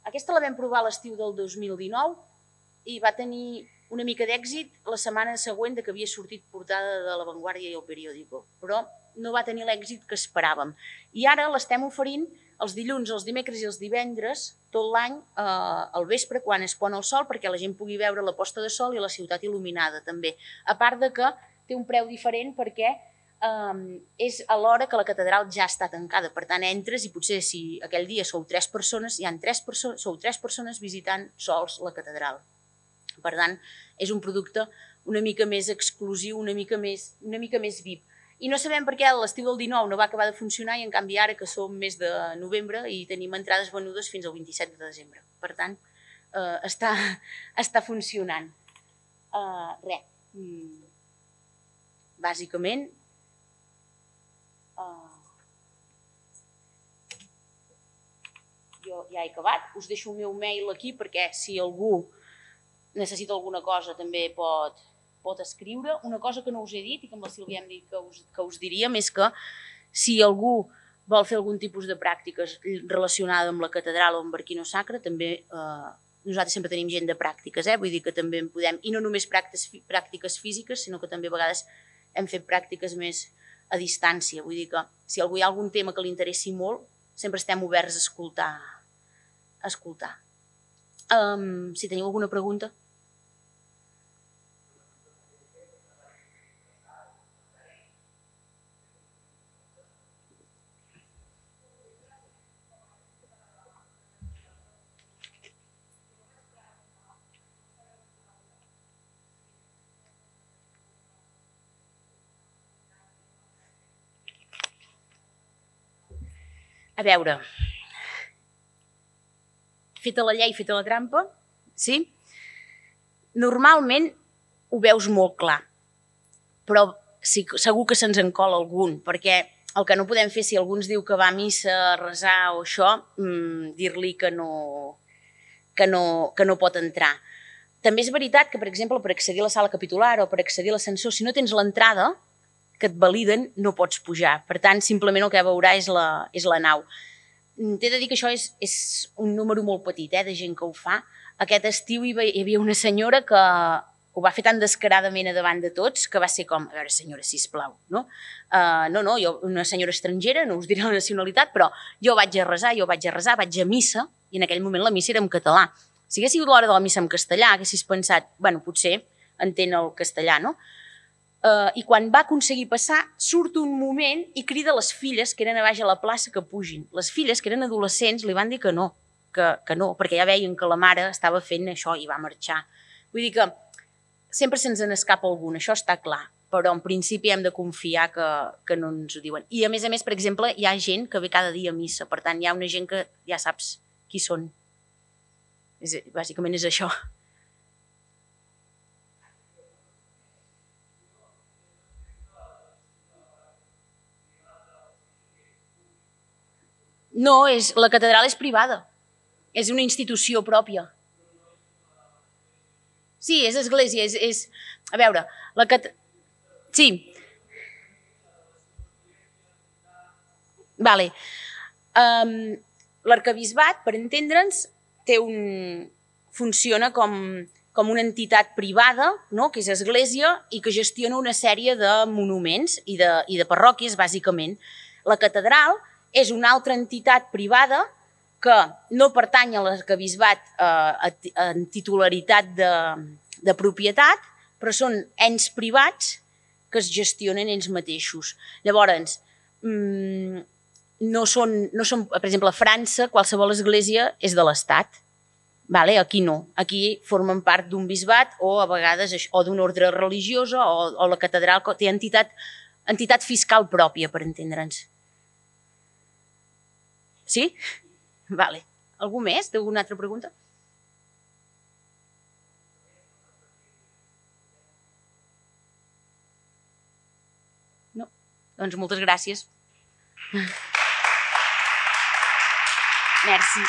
aquesta la vam provar a l'estiu del 2019 i va tenir una mica d'èxit la setmana següent que havia sortit portada de La Vanguardia i El Periódico, però no va tenir l'èxit que esperàvem. I ara l'estem oferint els dilluns, els dimecres i els divendres, tot l'any, al vespre, quan es pon el sol, perquè la gent pugui veure la posta de sol i la ciutat il·luminada, també. A part de que té un preu diferent perquè és a l'hora que la catedral ja està tancada. Per tant, entres i potser si aquell dia sou 3 persones, sou 3 persones visitant sols la catedral. Per tant, és un producte una mica més exclusiu, una mica més VIP. I no sabem per què l'estiu del 19 no va acabar de funcionar i en canvi ara que som mes de novembre i tenim entrades venudes fins al 27 de desembre. Per tant, està funcionant. Res. Bàsicament, jo ja he acabat. Us deixo el meu mail aquí perquè si algú necessita alguna cosa també pot escriure. Una cosa que no us he dit i que amb la Sílvia hem dit que us diríem és que si algú vol fer algun tipus de pràctiques relacionada amb la catedral o amb Barquino Sacra, també nosaltres sempre tenim gent de pràctiques, vull dir que també en podem, i no només pràctiques físiques, sinó que també a vegades hem fet pràctiques més a distància. Vull dir que si algú hi ha algun tema que li interessi molt, sempre estem oberts a escoltar. Si teniu alguna pregunta. A veure, feta la llei, feta la trampa, sí? Normalment ho veus molt clar, però segur que se'ns en cola algun, perquè el que no podem fer si algú ens diu que va a missa, a resar o això, dir-li que no pot entrar. També és veritat que, per exemple, per accedir a la sala capitular o per accedir a l'ascensor, si no tens l'entrada, que et validen, no pots pujar. Per tant, simplement el que veurà és la nau. T'he de dir que això és un número molt petit de gent que ho fa. Aquest estiu hi havia una senyora que ho va fer tan descaradament a davant de tots que va ser com, a veure, senyora, sisplau, no? No, jo, una senyora estrangera, no us diré la nacionalitat, però jo vaig a resar, vaig a missa, i en aquell moment la missa era en català. Si hagués sigut l'hora de la missa en castellà, haguessis pensat, bueno, potser entén el castellà, no? I quan va aconseguir passar, surt un moment i crida les filles que eren a baix a la plaça que pugin. Les filles, que eren adolescents, li van dir que no, perquè ja veien que la mare estava fent això i va marxar. Vull dir que sempre se'ns n'escapa algun, això està clar, però en principi hem de confiar que no ens ho diuen. I a més, per exemple, hi ha gent que ve cada dia a missa, per tant, hi ha una gent que ja saps qui són. Bàsicament és això. No, la catedral és privada, és una institució pròpia. Sí, és església, a veure, sí. Vale. L'arquebisbat, per entendre'ns, funciona com una entitat privada, no?, que és església i que gestiona una sèrie de monuments i de parròquies, bàsicament. La catedral és una altra entitat privada que no pertany a l'arquebisbat en titularitat de propietat, però són ens privats que es gestionen ells mateixos. Llavors, no són, per exemple, a França qualsevol església és de l'Estat. Aquí no. Aquí formen part d'un bisbat o a vegades o d'una ordre religiosa o la catedral té entitat fiscal pròpia, per entendre'ns. Sí? Vale. Algú més? Té alguna altra pregunta? No? Doncs moltes gràcies. Merci.